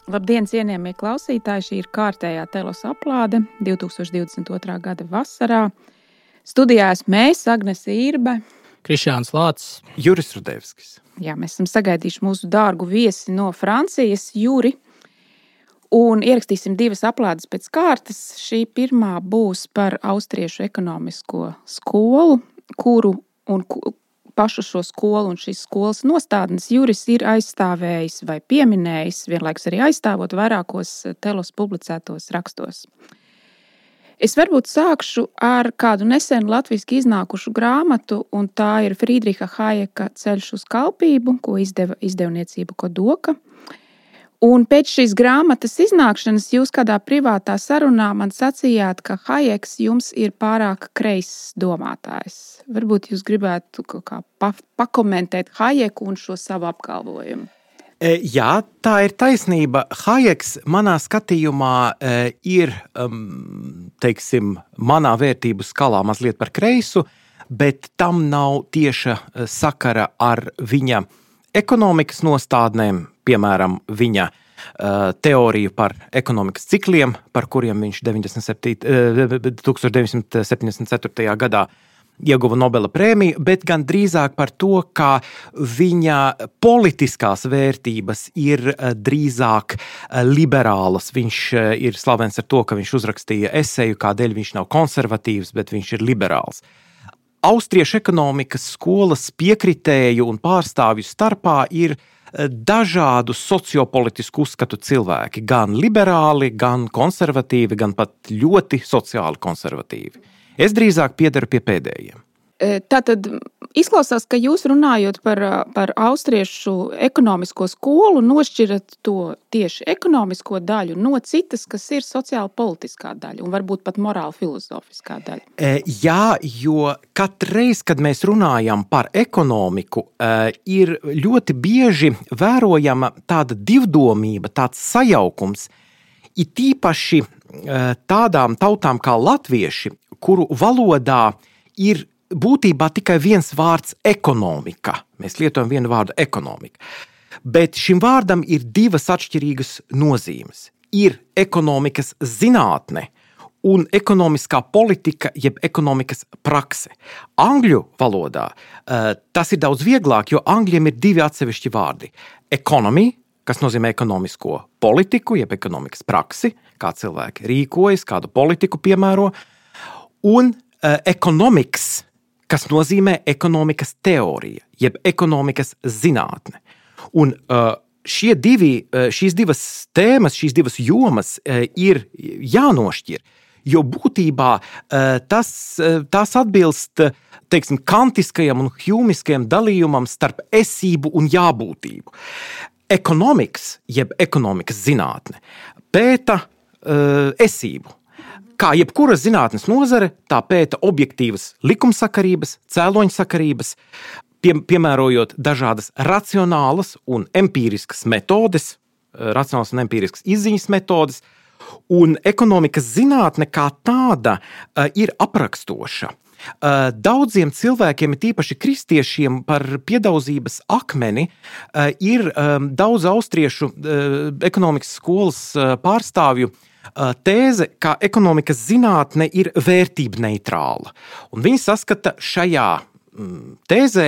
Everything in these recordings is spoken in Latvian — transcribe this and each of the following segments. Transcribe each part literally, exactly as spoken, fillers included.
Labdien, cienījamie klausītāji! Šī ir kārtējā Telos aplāde divtūkstoš divdesmit otrā gada vasarā. Studijā esmu mēs, Agnese Irbe, Krišjāns Lācis, Juris Rudevskis. Jā, mēs esam sagaidījuši mūsu dārgu viesi no Francijas, Juri, un ierakstīsim divas aplādes pēc kārtas. Šī pirmā būs par austriešu ekonomisko skolu, kuru un pašu šo skolu un šīs skolas nostādnes Juris ir aizstāvējis vai pieminējis, vienlaikus arī aizstāvot vairākos Telos publicētos rakstos. Es varbūt sākšu ar kādu nesenu latviski iznākušu grāmatu, un tā ir Friedriha Hayeka Ceļš uz kalpību, ko izdeva izdevniecība Kodoka. Un pēc šīs grāmatas iznākšanas jūs kādā privātā sarunā man sacījāt, ka Hayeks jums ir pārāk kreiss domātājs. Varbūt jūs gribētu kaut kā pakomentēt Hayeku un šo savu apgalvojumu. Jā, tā ir taisnība. Hayeks manā skatījumā ir, teiksim, manā vērtību skalā mazliet par kreisu, bet tam nav tieša sakara ar viņa ekonomikas nostādnēm, piemēram, viņa uh, teoriju par ekonomikas cikliem, par kuriem viņš tūkstoš deviņsimt septiņdesmit ceturtajā gadā ieguva Nobela prēmiju, bet gan drīzāk par to, ka viņa politiskās vērtības ir drīzāk liberālas. Viņš ir slavens ar to, ka viņš uzrakstīja eseju, kādēļ viņš nav konservatīvs, bet viņš ir liberāls. Austriešu ekonomikas skolas piekritēju un pārstāvju starpā ir dažādu sociopolitisku uzskatu cilvēki, gan liberāli, gan konservatīvi, gan pat ļoti sociāli konservatīvi. Es drīzāk piedaru pie pēdējiem. Tātad izklausās, ka jūs runājot par, par austriešu ekonomisko skolu, nošķirat to tieši ekonomisko daļu no citas, kas ir sociāli politiskā daļa un varbūt pat morāli filozofiskā daļa. Jā, jo katreiz, kad mēs runājam par ekonomiku, ir ļoti bieži vērojama tāda divdomība, tāds sajaukums, it īpaši tādām tautām kā latvieši, kuru valodā ir būtībā tikai viens vārds ekonomika. Mēs lietojam vienu vārdu ekonomika. Bet šim vārdam ir divas atšķirīgas nozīmes. Ir ekonomikas zinātne un ekonomiskā politika, jeb ekonomikas prakse. Angļu valodā tas ir daudz vieglāk, jo angļiem ir divi atsevišķi vārdi. Economy, kas nozīmē ekonomisko politiku, jeb ekonomikas praksi, kā cilvēki rīkojas, kādu politiku piemēro, un economics, kas nozīmē ekonomikas teorija, jeb ekonomikas zinātne. Un šie divi, šīs divas tēmas, šīs divas jomas ir jānošķir, jo būtībā tas, tās atbilst, teiksim, kantiskajam un hjūmiskajam dalījumam starp esību un jābūtību. Ekonomikas, jeb ekonomikas zinātne, pēta esību. Kā jebkura zinātnes nozare, tā pēta objektīvas likumsakarības, cēloņsakarības, pie, piemērojot dažādas racionālas un empīriskas metodes, racionālas un empīriskas izziņas metodes, un ekonomikas zinātne kā tāda ir aprakstoša. Daudziem cilvēkiem, tīpaši kristiešiem, par piedaudzības akmeni ir daudz austriešu ekonomikas skolas pārstāvju tēze, ka ekonomikas zinātne ir vērtība neitrāla. Un viņi saskata šajā tēzē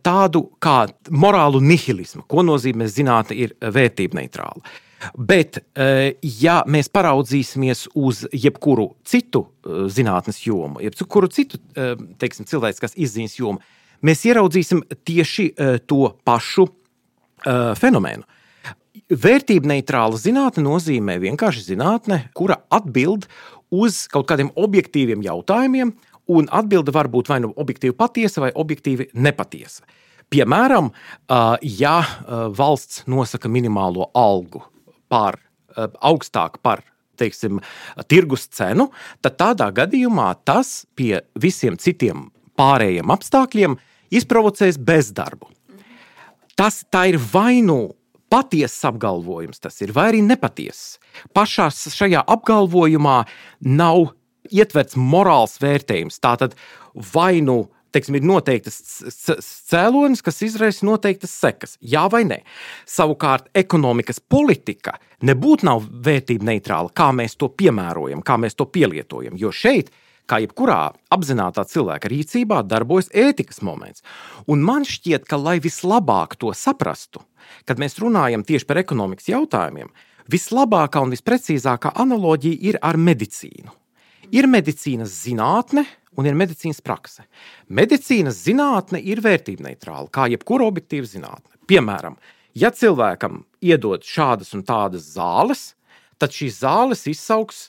tādu kā morālu nihilismu, ko nozīmē zinātne ir vērtība neitrāla. Bet, ja mēs paraudzīsimies uz jebkuru citu zinātnes jomu, jebkuru citu, teiksim, cilvēciskās izziņas jomu, mēs ieraudzīsim tieši to pašu fenomenu. Vērtība neitrāla zinātne nozīmē vienkārši zinātne, kura atbild uz kaut kādiem objektīviem jautājumiem, un atbilde var būt vai nu objektīvi patiesa vai objektīvi nepatiesa. Piemēram, ja valsts nosaka minimālo algu par augstāk par, teiksim, tirgus cenu, tad tādā gadījumā tas pie visiem citiem pārējiem apstākļiem izprovocēs bezdarbu. Tas tā ir vai nu patiesas apgalvojums, tas ir vai arī nepatiesas. Pašā šajā apgalvojumā nav ietverts morāls vērtējums. Tātad vai nu teiksim, ir noteiktas cēlonis, kas izraisa noteiktas sekas. Jā vai nē? Savukārt ekonomikas politika nebūtu nav vērtība neitrāla, kā mēs to piemērojam, kā mēs to pielietojam, jo šeit, kā jebkurā apzinātā cilvēka rīcībā, darbojas ētikas moments. Un man šķiet, ka, lai vislabāk to saprastu, kad mēs runājam tieši par ekonomikas jautājumiem, vislabākā un visprecīzākā analoģija ir ar medicīnu. Ir medicīnas zinātne un ir medicīnas prakse. Medicīnas zinātne ir vērtība neitrāla, kā jebkura objektīva zinātne. Piemēram, ja cilvēkam iedod šādas un tādas zāles, tad šīs zāles izsauks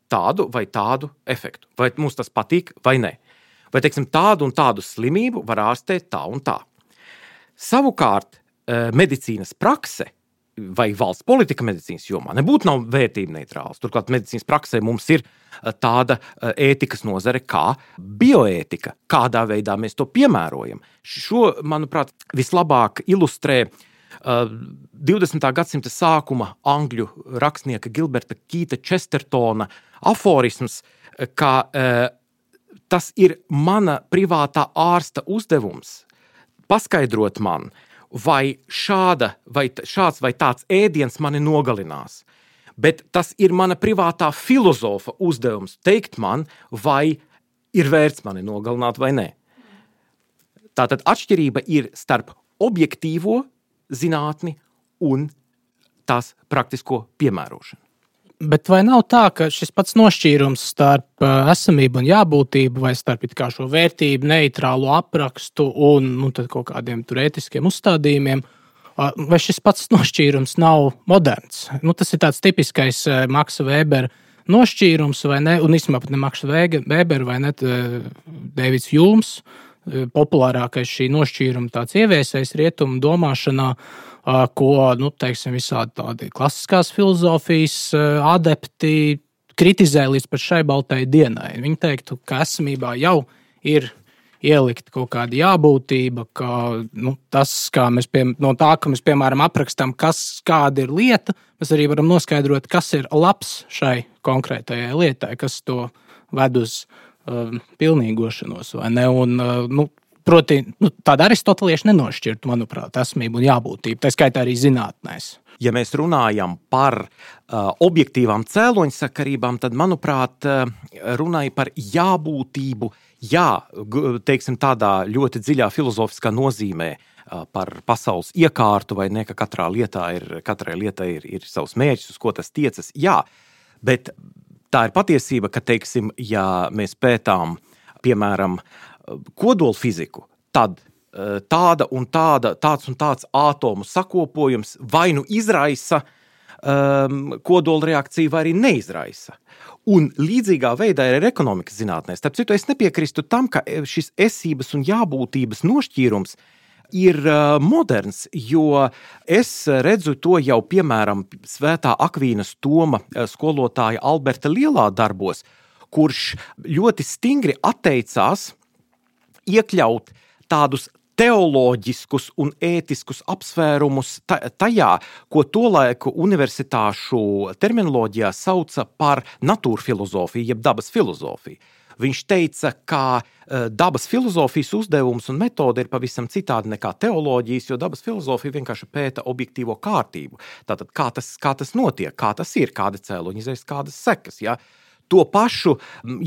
tādu vai tādu efektu. Vai mums tas patīk vai ne. Vai, teiksim, tādu un tādu slimību var ārstēt tā un tā. Savukārt, medicīnas prakse vai valsts politika medicīnas jomā nebūtu nav vērtība neitrāls. Turklāt medicīnas praksē mums ir tāda ētikas nozare kā bioētika. Kādā veidā mēs to piemērojam. Šo, manuprāt, vislabāk ilustrē divdesmitā gadsimta sākuma angļu rakstnieka Gilberta Kīta Čestertona aforisms, ka tas ir mana privātā ārsta uzdevums paskaidrot man, vai, šāda, vai šāds vai tāds ēdiens mani nogalinās. Bet tas ir mana privātā filozofa uzdevums teikt man, vai ir vērts mani nogalināt vai nē. Tātad atšķirība ir starp objektīvo zinātni un tās praktisko piemērošanu. Bet vai nav tā, ka šis pats nošķīrums starp esamību un jābūtību vai starp it kā šo vērtību, neitrālu aprakstu un nu, tad kaut kādiem tur ētiskiem uzstādījumiem, vai šis pats nošķīrums nav moderns? Nu, tas ir tāds tipiskais Maksa Vēbera nošķīrums, vai ne? Un īstenībā pat ne Maksa Vēbera, vai ne? Deivids Hjūms, populārākais šī nošķīruma tāds ieviesējs rietumu domāšanā, ko, nu, teiksim, visādi tādi klasiskās filozofijas adepti kritizē līdz pat šai baltai dienai. Viņi teiktu, ka esamībā jau ir ielikt kaut kāda jābūtība, ka nu, tas, kā mēs pie, no tā, ka mēs, piemēram, aprakstām, kas, kāda ir lieta, mēs arī varam noskaidrot, kas ir labs šai konkrētajai lietai, kas to ved uz uh, pilnīgošanos, vai ne? Un, uh, nu, proti, nu, tāda aristotelieša nenošķirtu, manuprāt, esamību un jābūtību, tā skaitā arī zinātnēs. Ja mēs runājam par uh, objektīvām cēloņsakarībām, tad, manuprāt, uh, runāja par jābūtību, jā, teiksim, tādā ļoti dziļā filozofiskā nozīmē uh, par pasaules iekārtu, vai ne, ka katrā lietā ir, katrai lietai ir, ir savs mērķis, uz ko tas tiecas, jā, bet tā ir patiesība, ka, teiksim, ja mēs pētām, piemēram, kodolfiziku, tad tāda un tāda, tāds un tāds ātomu sakopojums vai nu izraisa um, kodola reakciju, vai arī neizraisa. Un līdzīgā veidā ir ar ekonomikas zinātnē. Starp citu, es nepiekrīstu tam, ka šis esības un jābūtības nošķīrums ir uh, moderns, jo es redzu to jau, piemēram, Svētā Akvīnas Toma skolotāja Alberta Lielā darbos, kurš ļoti stingri atteicās iekļaut tādus teoloģiskus un ētiskus apsvērumus tajā, ko tolaiku universitāšu terminoloģijā sauca par natūrfilozofiju, jeb dabas filozofiju. Viņš teica, ka dabas filozofijas uzdevums un metode ir pavisam citādi nekā teoloģijas, jo dabas filozofija vienkārši pēta objektīvo kārtību. Tātad, kā tas, kā tas notiek, kā tas ir, kāda cēloņa izraisa, kādas sekas, ja? To pašu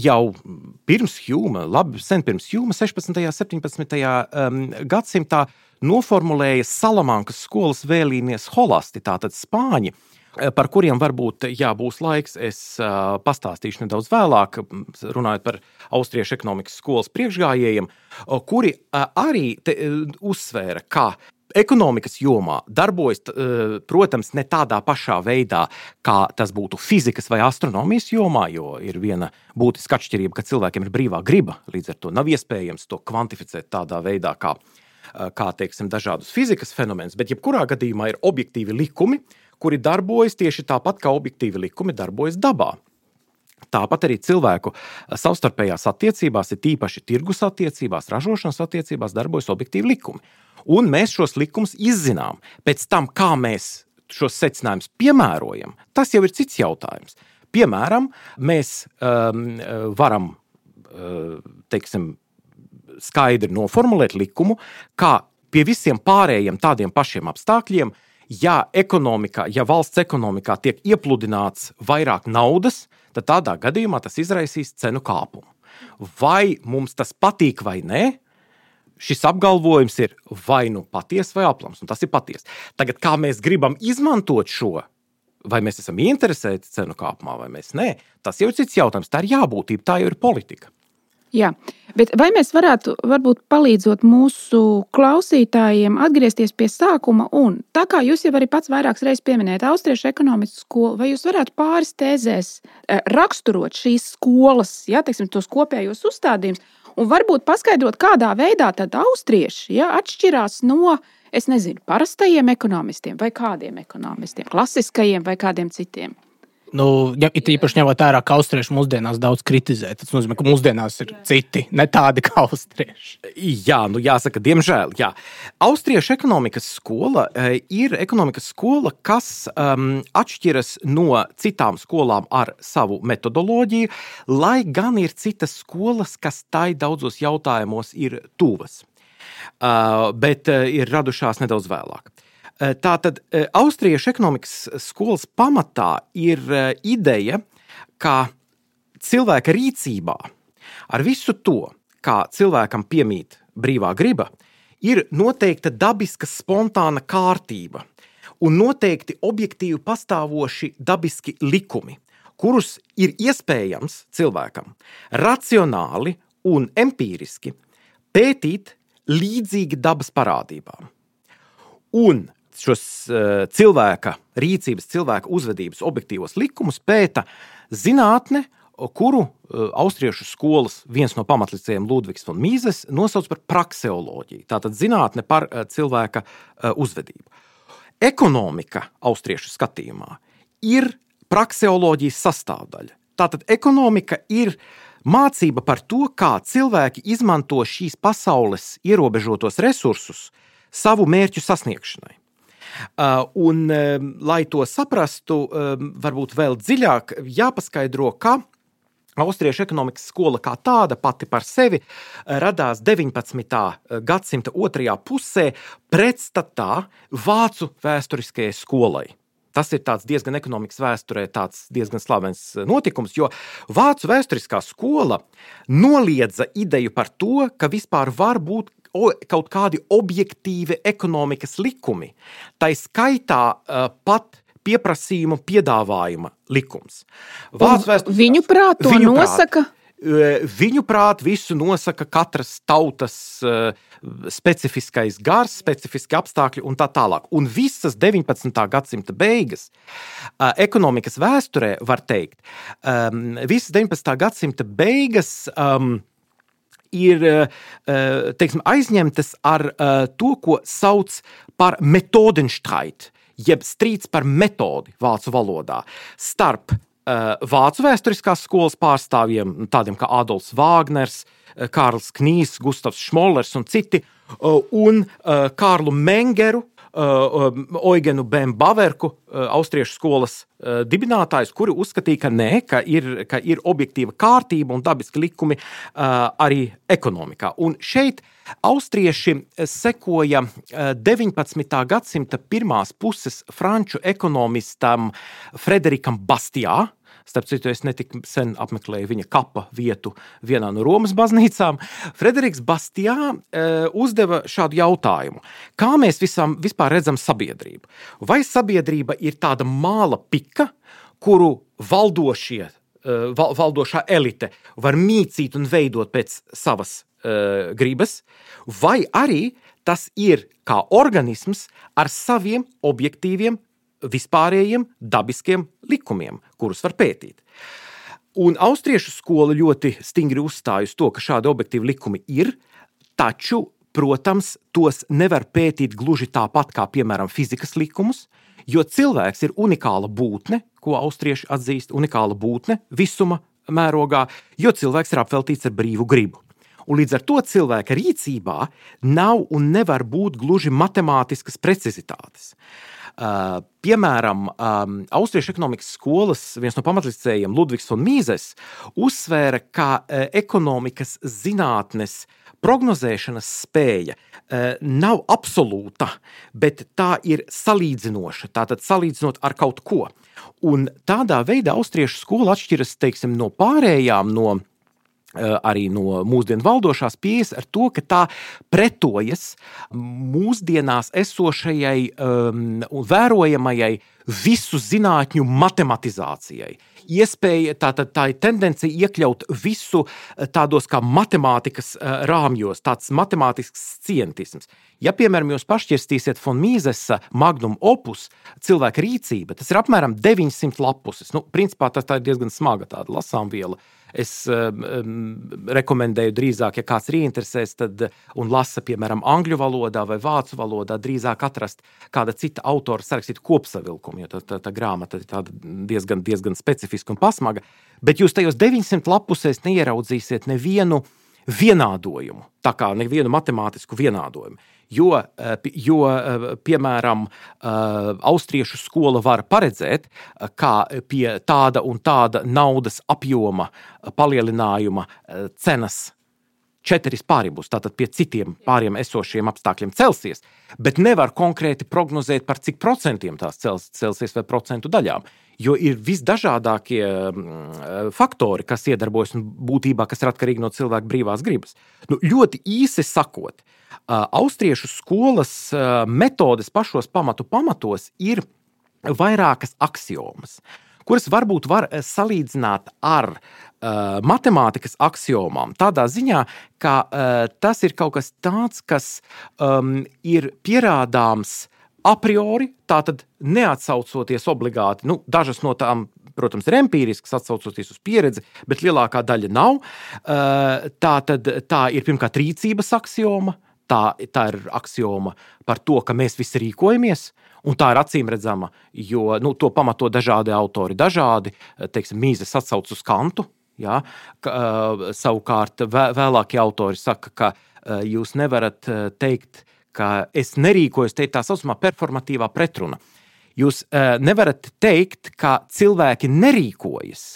jau pirms Hjūma, labi, sen pirms Hjūma, sešpadsmitajā, septiņpadsmitajā Um, gadsimtā noformulēja Salamankas skolas vēlīnie scholasti, tātad spāņi, par kuriem varbūt, jā, būs laiks, es uh, pastāstīšu nedaudz vēlāk, runājot par austriešu ekonomikas skolas priekšgājējiem, kuri uh, arī te, uh, uzsvēra, ka ekonomikas jomā darbojas, protams, ne tādā pašā veidā, kā tas būtu fizikas vai astronomijas jomā, jo ir viena būtiska atšķirība, ka cilvēkiem ir brīvā griba, līdz ar to nav iespējams to kvantificēt tādā veidā, kā, kā teiksim, dažādus fizikas fenomenus, bet jebkurā gadījumā ir objektīvi likumi, kuri darbojas tieši tāpat, kā objektīvi likumi darbojas dabā. Tāpat arī cilvēku savstarpējās attiecībās, ir tīpaši tirgus attiecībās, ražošanas attiecībās darbojas objektīvi likumi. Un mēs šos likumus izzinām. Pēc tam, kā mēs šos secinājumus piemērojam, tas jau ir cits jautājums. Piemēram, mēs um, varam, uh, teiksim, skaidri noformulēt likumu, kā pie visiem pārējiem tādiem pašiem apstākļiem, ja ekonomikā, ja valsts ekonomikā tiek iepludināts vairāk naudas, tad tādā gadījumā tas izraisīs cenu kāpumu. Vai mums tas patīk vai nē, šis apgalvojums ir vai nu paties vai aplams, un tas ir paties. Tagad, kā mēs gribam izmantot šo, vai mēs esam ieinteresēti cenu kāpumā, vai mēs nē, tas jau ir cits jautājums, tā ir jābūtība, tā jau ir politika. Jā, bet vai mēs varētu, varbūt palīdzot mūsu klausītājiem atgriezties pie sākuma, un tā kā jūs jau arī pats vairākas reizes pieminējat austriešu ekonomikas skolu, vai jūs varētu pāris tēzēs raksturot šīs skolas, ja, teiksim, tos kopējos uzstādījumus, un varbūt paskaidrot, kādā veidā tad austrieši ja, atšķirās no, es nezinu, parastajiem ekonomistiem vai kādiem ekonomistiem, klasiskajiem vai kādiem citiem? Nu, ja it īpaši ņemot vērā, ka austrieši mūsdienās daudz kritizē, tas nozīmē, ka mūsdienās ir citi, ne tādi kā austrieši. Jā, nu jāsaka, diemžēl, jā. Austriešu ekonomikas skola e, ir ekonomikas skola, kas um, atšķiras no citām skolām ar savu metodoloģiju, lai gan ir citas skolas, kas tai daudzos jautājumos ir tuvas, uh, bet uh, ir radušās nedaudz vēlāk. Tātad austriešu ekonomikas skolas pamatā ir ideja, ka cilvēka rīcībā ar visu to, kā cilvēkam piemīt brīvā griba, ir noteikta dabiska spontāna kārtība un noteikti objektīvi pastāvoši dabiski likumi, kurus ir iespējams cilvēkam racionāli un empīriski pētīt līdzīgi dabas parādībām. Un šos uh, cilvēka rīcības, cilvēka uzvedības objektīvos likumus pēta zinātne, kuru uh, austriešu skolas viens no pamatlicējiem Ludvigs von Mises nosauc par prakseoloģiju, tātad zinātne par uh, cilvēka uh, uzvedību. Ekonomika austriešu skatījumā ir prakseoloģijas sastāvdaļa. Tātad ekonomika ir mācība par to, kā cilvēki izmanto šīs pasaules ierobežotos resursus savu mērķu sasniegšanai. Uh, un, um, lai to saprastu, um, varbūt vēl dziļāk jāpaskaidro, ka austriešu ekonomikas skola kā tāda pati par sevi radās deviņpadsmitā gadsimta otrajā pusē pretstatā vācu vēsturiskajai skolai. Tas ir tāds diezgan ekonomikas vēsturē tāds diezgan slavens notikums, jo vācu vēsturiskā skola noliedza ideju par to, ka vispār var būt kaut kādi objektīvi ekonomikas likumi. Tai skaitā uh, pat pieprasījuma piedāvājuma likums. Vēstur... Viņu prāt to viņu nosaka? Prāt, viņu prāt visu nosaka katras tautas uh, specifiskais gars, specifiski apstākļi un tā tālāk. Un visas deviņpadsmitā gadsimta beigas uh, ekonomikas vēsturē var teikt, um, visas deviņpadsmitā gadsimta beigas um, ir teiksim, aizņemtas ar to, ko sauc par Methodenstreit, jeb strīds par metodi vācu valodā, starp vācu vēsturiskās skolas pārstāvjiem, tādiem kā Adolfs Vāgners, Kārls Knīs, Gustavs Šmollers un citi, un Kārlu Mengeru, Oigenu Bem-Baverku, austriešu skolas dibinātājus, kuri uzskatīja, ka nē, ka ir, ka ir objektīva kārtība un dabiski likumi arī ekonomikā. Un šeit austrieši sekoja deviņpadsmitā gadsimta pirmās puses franču ekonomistam Frederikam Bastiā. Starp citu, es netik sen apmeklēju viņa kapa vietu vienā no Romas baznīcām. Frederiks Bastiā e, uzdeva šādu jautājumu. Kā mēs visam, vispār redzam sabiedrību? Vai sabiedrība ir tāda māla pika, kuru valdošie, e, val, valdošā elite var mīcīt un veidot pēc savas e, gribas? Vai arī tas ir kā organisms ar saviem objektīviem vispārējiem dabiskiem likumiem, kurus var pētīt. Un austriešu skola ļoti stingri uzstāj uz to, ka šādi objektīvi likumi ir, taču, protams, tos nevar pētīt gluži tāpat kā, piemēram, fizikas likumus, jo cilvēks ir unikāla būtne, ko austrieši atzīst, unikāla būtne visuma mērogā, jo cilvēks ir apveltīts ar brīvu gribu. Un līdz ar to cilvēka rīcībā nav un nevar būt gluži matemātiskas precizitātes. Piemēram, Austriešu ekonomikas skolas viens no pamatlicējiem Ludvigs von Mises uzsvēra, ka ekonomikas zinātnes prognozēšanas spēja nav absolūta, bet tā ir salīdzinoša, tātad salīdzinot ar kaut ko. Un tādā veidā austriešu skola atšķiras, teiksim, no pārējām, no arī no mūsdienu valdošās pieejas ar to, ka tā pretojas mūsdienās esošajai um, un vērojamajai visu zinātņu matematizācijai. Iespēja, tātad tā ir tendencija iekļaut visu tādos kā matemātikas rāmjos, tāds matemātisks scientisms. Ja, piemēram, jūs pašķirstīsiet von Misesa magnum opus cilvēka rīcība, tas ir apmēram deviņsimt lapuses. Nu, principā tas tā ir diezgan smaga tāda lasāmviela. Es um, rekomendēju drīzāk, ja kāds ir ieinteresēs, tad un lasa, piemēram, angļu valodā vai vācu valodā, drīzāk atrast kāda cita autora sarakstītu kopsavilkumu, jo tā, tā, tā grāmata ir tāda diezgan, diezgan specifiska un pasmaga. Bet jūs tajos deviņsimt lapusēs neieraudzīsiet nevienu vienādojumu, tā kā nevienu matemātisku vienādojumu. Jo, jo, piemēram, austriešu skola var paredzēt, kā pie tāda un tāda naudas apjoma palielinājuma cenas četras pāri būs, tātad pie citiem pāriem esošiem apstākļiem celsies, bet nevar konkrēti prognozēt par cik procentiem tās celsies vai procentu daļām, jo ir visdažādākie faktori, kas iedarbojas un būtībā, kas ir atkarīgi no cilvēka brīvās gribas. Nu, ļoti īsi sakot, austriešu skolas metodes pašos pamatu pamatos ir vairākas aksiomas, kuras varbūt var salīdzināt ar uh, matemātikas aksiomām, tādā ziņā, ka uh, tas ir kaut kas tāds, kas um, ir pierādāms a priori, tātad neatsaucoties obligāti, nu, dažas no tām, protams, ir empīriskas, atsaucoties uz pieredzi, bet lielākā daļa nav. Uh, tātad tā ir pirmkārt rīcības aksioma, tā, tā ir aksioma par to, ka mēs visi rīkojamies, un tā ir acīmredzama, jo nu, to pamato dažādi autori, dažādi, teiksim, Mises atsauc uz Kantu, jā, ka, uh, savukārt vē, vēlākie autori saka, ka uh, jūs nevarat uh, teikt, ka es nerīkojos, te ir tā saucamā performatīvā pretruna. Jūs uh, nevarat teikt, ka cilvēki nerīkojas,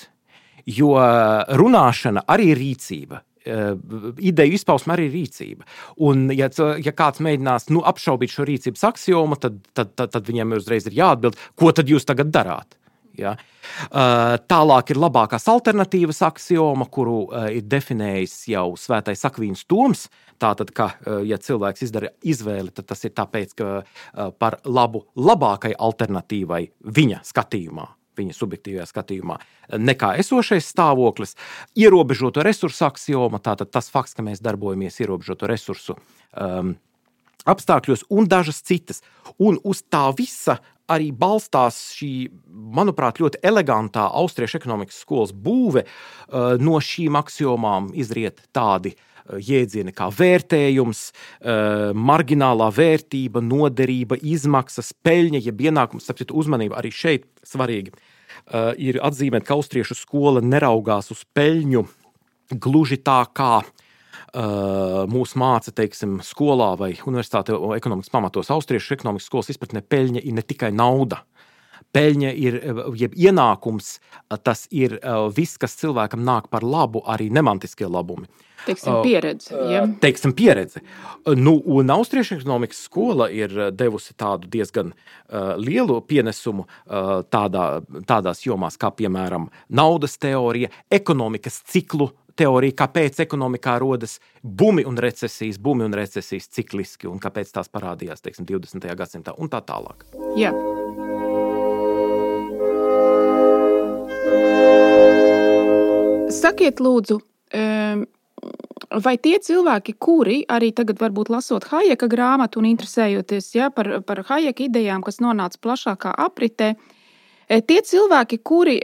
jo runāšana arī ir rīcība. Ideju izpausme arī rīcība. Un, ja, ja kāds mēģinās nu, apšaubīt šo rīcības aksiomu, tad, tad, tad, tad viņiem uzreiz ir jāatbild, ko tad jūs tagad darāt. Ja? Tālāk ir labākās alternatīvas aksioma, kuru ir definējis jau svētais Akvīns Toms. Tātad, ka, ja cilvēks izdara izvēli, tad tas ir tāpēc, ka par labu labākai alternatīvai viņa skatījumā, viņa subjektīvajā skatījumā, nekā esošais stāvoklis, ierobežoto resursu aksioma, tātad tas fakts, ka mēs darbojamies ierobežoto resursu um, apstākļos un dažas citas. Un uz tā visa arī balstās šī, manuprāt, ļoti elegantā austriešu ekonomikas skolas būve. Uh, no šīm aksiomām izriet tādi jēdzieni kā vērtējums, marginālā vērtība, noderība, izmaksas, peļņa, jeb ienākums, tāpēc uzmanība arī šeit svarīgi ir atzīmēt, ka austriešu skola neraugās uz peļņu gluži tā kā mūs māca, teiksim, skolā vai universitāte ekonomikas pamatos. Austriešu ekonomikas skolas izpratnē peļņa ir ne tikai nauda. Peļņa ir, jeb ienākums, tas ir viss, kas cilvēkam nāk par labu, arī nemantiskie labumi. Teiksim, pieredze. Ja? Teiksim, pieredze. Nu, un austriešu ekonomikas skola ir devusi tādu diezgan uh, lielu pienesumu uh, tādā, tādās jomās, kā, piemēram, naudas teorija, ekonomikas ciklu teorija, kāpēc ekonomikā rodas bumi un recesijas, bumi un recesijas cikliski, un kāpēc tās parādījās, teiksim, divdesmitajā gadsimtā, un tā tālāk. Jā. Sakiet, lūdzu, vai tie cilvēki, kuri arī tagad varbūt lasot Hayeka grāmatu un interesējoties ja, par, par Hayeka idejām, kas nonāca plašākā apritē, tie cilvēki, kuri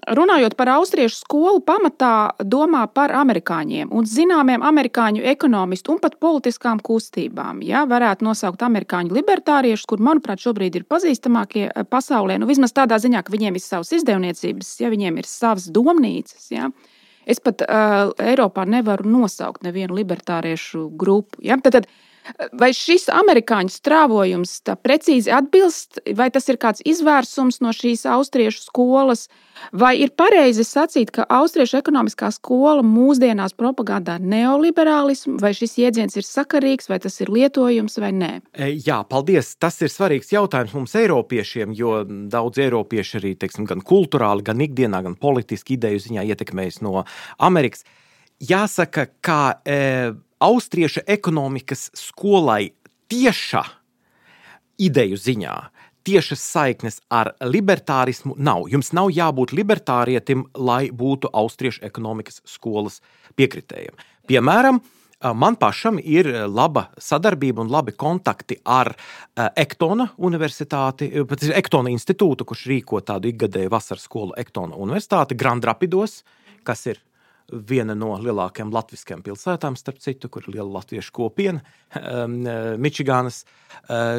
runājot par austriešu skolu, pamatā domā par amerikāņiem un zināmiem amerikāņu ekonomistu un pat politiskām kustībām. Ja, varētu nosaukt amerikāņu libertāriešus, kur, manuprāt, šobrīd ir pazīstamākie pasaulē. Nu, vismaz tādā ziņā, ka viņiem ir savas izdevniecības, ja viņiem ir savas domnīcas. Ja. Es pat uh, Eiropā nevaru nosaukt nevienu libertāriešu grupu. Ja. Tad, tad Vai šis amerikāņu strāvojums tā precīzi atbilst, vai tas ir kāds izvērsums no šīs austriešu skolas, vai ir pareizi sacīt, ka austriešu ekonomiskā skola mūsdienās propagandā neoliberālismu, vai šis jēdziens ir sakarīgs, vai tas ir lietojums vai nē? Jā, paldies. Tas ir svarīgs jautājums mums eiropiešiem, jo daudz eiropieši arī, teiksim, gan kulturāli, gan ikdienā, gan politiski ideju ziņā ietekmējas no Amerikas. Jāsaka, ka e, austriešu ekonomikas skolai tieša ideju ziņā, tiešas saiknes ar libertārismu nav. Jums nav jābūt libertārietim, lai būtu austriešu ekonomikas skolas piekritējiem. Piemēram, man pašam ir laba sadarbība un labi kontakti ar Ektona universitāti, pat Ektona institūtu, kurš rīko tādu ikgadēju vasaras skolu Ektona universitāti Grand Rapidos, kas ir viena no lielākajām latviskajām pilsētām, starp citu, kur ir liela latviešu kopiena, Mičigānas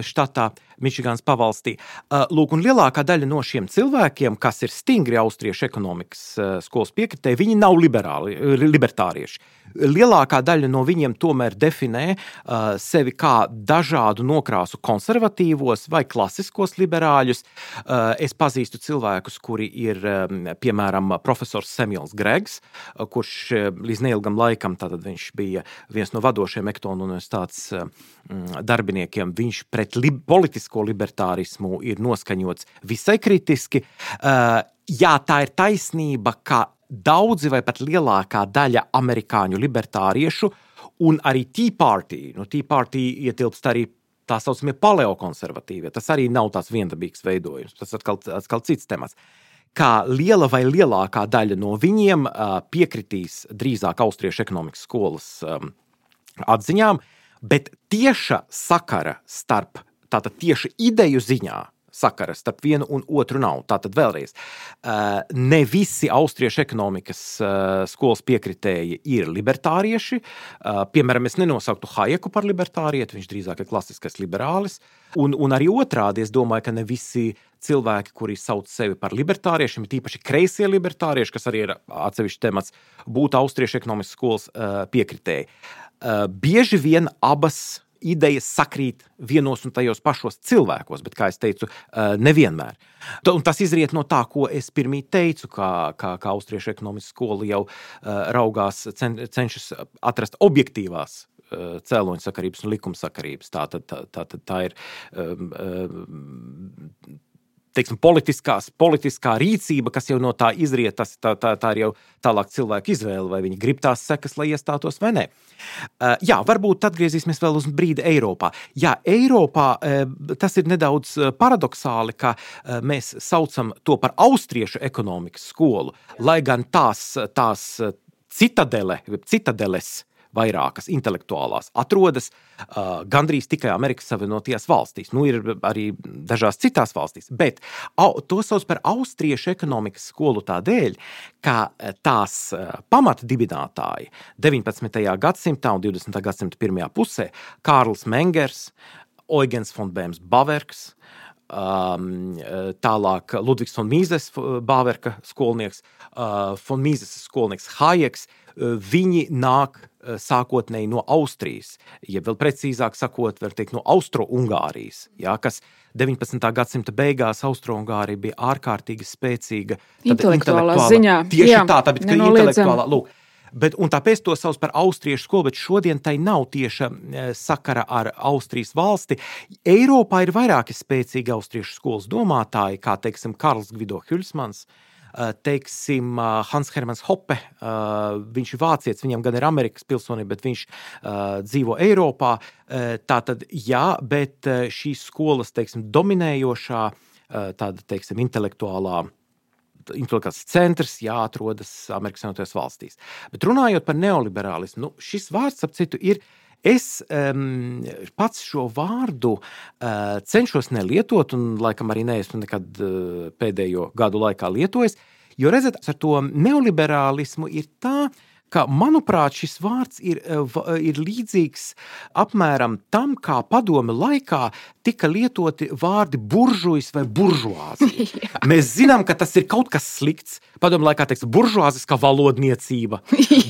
štatā, Mičigānas pavalstī. Lūk, un lielākā daļa no šiem cilvēkiem, kas ir stingri austriešu ekonomikas skolas piekritēji, viņi nav liberāli, libertārieši. Lielākā daļa no viņiem tomēr definē uh, sevi kā dažādu nokrāsu konservatīvos vai klasiskos liberāļus. Uh, es pazīstu cilvēkus, kuri ir, um, piemēram, profesors Samuels Gregs, uh, kurš uh, līdz neilgam laikam, tātad viņš bija viens no vadošiem Ektona universitātes uh, darbiniekiem, viņš pret li- politisko libertārismu ir noskaņots visai kritiski. Uh, jā, tā ir taisnība, ka daudzi vai pat lielākā daļa amerikāņu libertāriešu un arī Tea Party, no Tea Party ietilpst arī tā saucamie paleokonservatīvie, tas arī nav tās viendabīgs veidojums, tas atkal, atkal cits temats. Kā liela vai lielākā daļa no viņiem uh, piekritīs drīzāk austriešu ekonomikas skolas um, atziņām, bet tieša sakara starp, tātad tieši ideju ziņā, sakara starp vienu un otru nav. Tātad vēlreiz, ne visi austriešu ekonomikas skolas piekritēji ir libertārieši. Piemēram, es nenosauktu Hajeku par libertārieti, viņš drīzāk ir klasiskais liberālis. Un, un arī otrādi, es domāju, ka ne visi cilvēki, kuri sauc sevi par libertāriešiem, tīpaši kreisie libertārieši, kas arī ir atsevišķs temats, būtu austriešu ekonomikas skolas piekritēji. Bieži vien abas idejas sakrīt vienos un tajos pašos cilvēkos, bet, kā es teicu, nevienmēr. Un tas izriet no tā, ko es pirmīt teicu, kā, kā, kā austriešu ekonomikas skola jau raugās, cen, cenšas atrast objektīvās cēloņsakarības un likumsakarības. Tā, tā, tā, tā, tā ir teiksim, politiskās, politiskā rīcība, kas jau no tā izriet, tas, tā, tā, tā ir jau tālāk cilvēku izvēle, vai viņi grib tās sekas, lai iestātos vai nē. Uh, jā, varbūt atgriezīsimies vēl uz brīdi Eiropā. Jā, Eiropā uh, tas ir nedaudz paradoksāli, ka uh, mēs saucam to par austriešu ekonomikas skolu, lai gan tās, tās citadele, citadeles vairākas intelektuālās atrodas uh, gandrīz tikai Amerikas Savienotajās valstīs. Nu, ir arī dažās citās valstīs, bet au, to sauc par austriešu ekonomikas skolu tādēļ, ka tās uh, pamatdibinātāji deviņpadsmitajā gadsimtā un divdesmitā gadsimta pirmajā pusē Kārls Mengers, Eugens von Bēms Baverks, Um, tālāk Ludvigs von Mises Bāverka skolnieks, uh, von Mises skolnieks Hajeks, uh, viņi nāk uh, sākotnēji no Austrijas, ja vēl precīzāk sakot, var teikt no Austro-Ungārijas, jā, kas deviņpadsmitā gadsimta beigās Austro-Ungārija bija ārkārtīgi spēcīga. Intelektuālā ziņā. Tieši jā, tā, tāpēc, ka intelektuālā, lūk, Bet, un tāpēc to sauc par austriešu skolu, bet šodien tai nav tieša sakara ar Austrijas valsti. Eiropā ir vairāki spēcīgi austriešu skolas domātāji, kā, teiksim, Karls Gvido Hülsmans, teiksim, Hans Hermanns Hoppe, viņš ir vācietis, viņam gan ir Amerikas pilsonība, bet viņš dzīvo Eiropā. Tātad, jā, bet šīs skolas, teiksim, dominējošā, tāda, teiksim, intelektuālā intelektuāls centrs jāatrodas Amerikas Savienotajās valstīs. Bet runājot par neoliberālismu, nu, šis vārds, ap citu, ir, es um, pats šo vārdu uh, cenšos nelietot, un laikam arī neesmu nekad uh, pēdējo gadu laikā lietojis, jo, redzat, ar to neoliberālismu ir tā, ka, manuprāt, šis vārds ir, ir līdzīgs apmēram tam, kā padome laikā tika lietoti vārdi buržujs vai buržuāzija. Mēs zinām, ka tas ir kaut kas slikts. Padome laikā teiks buržuāziskā valodniecība,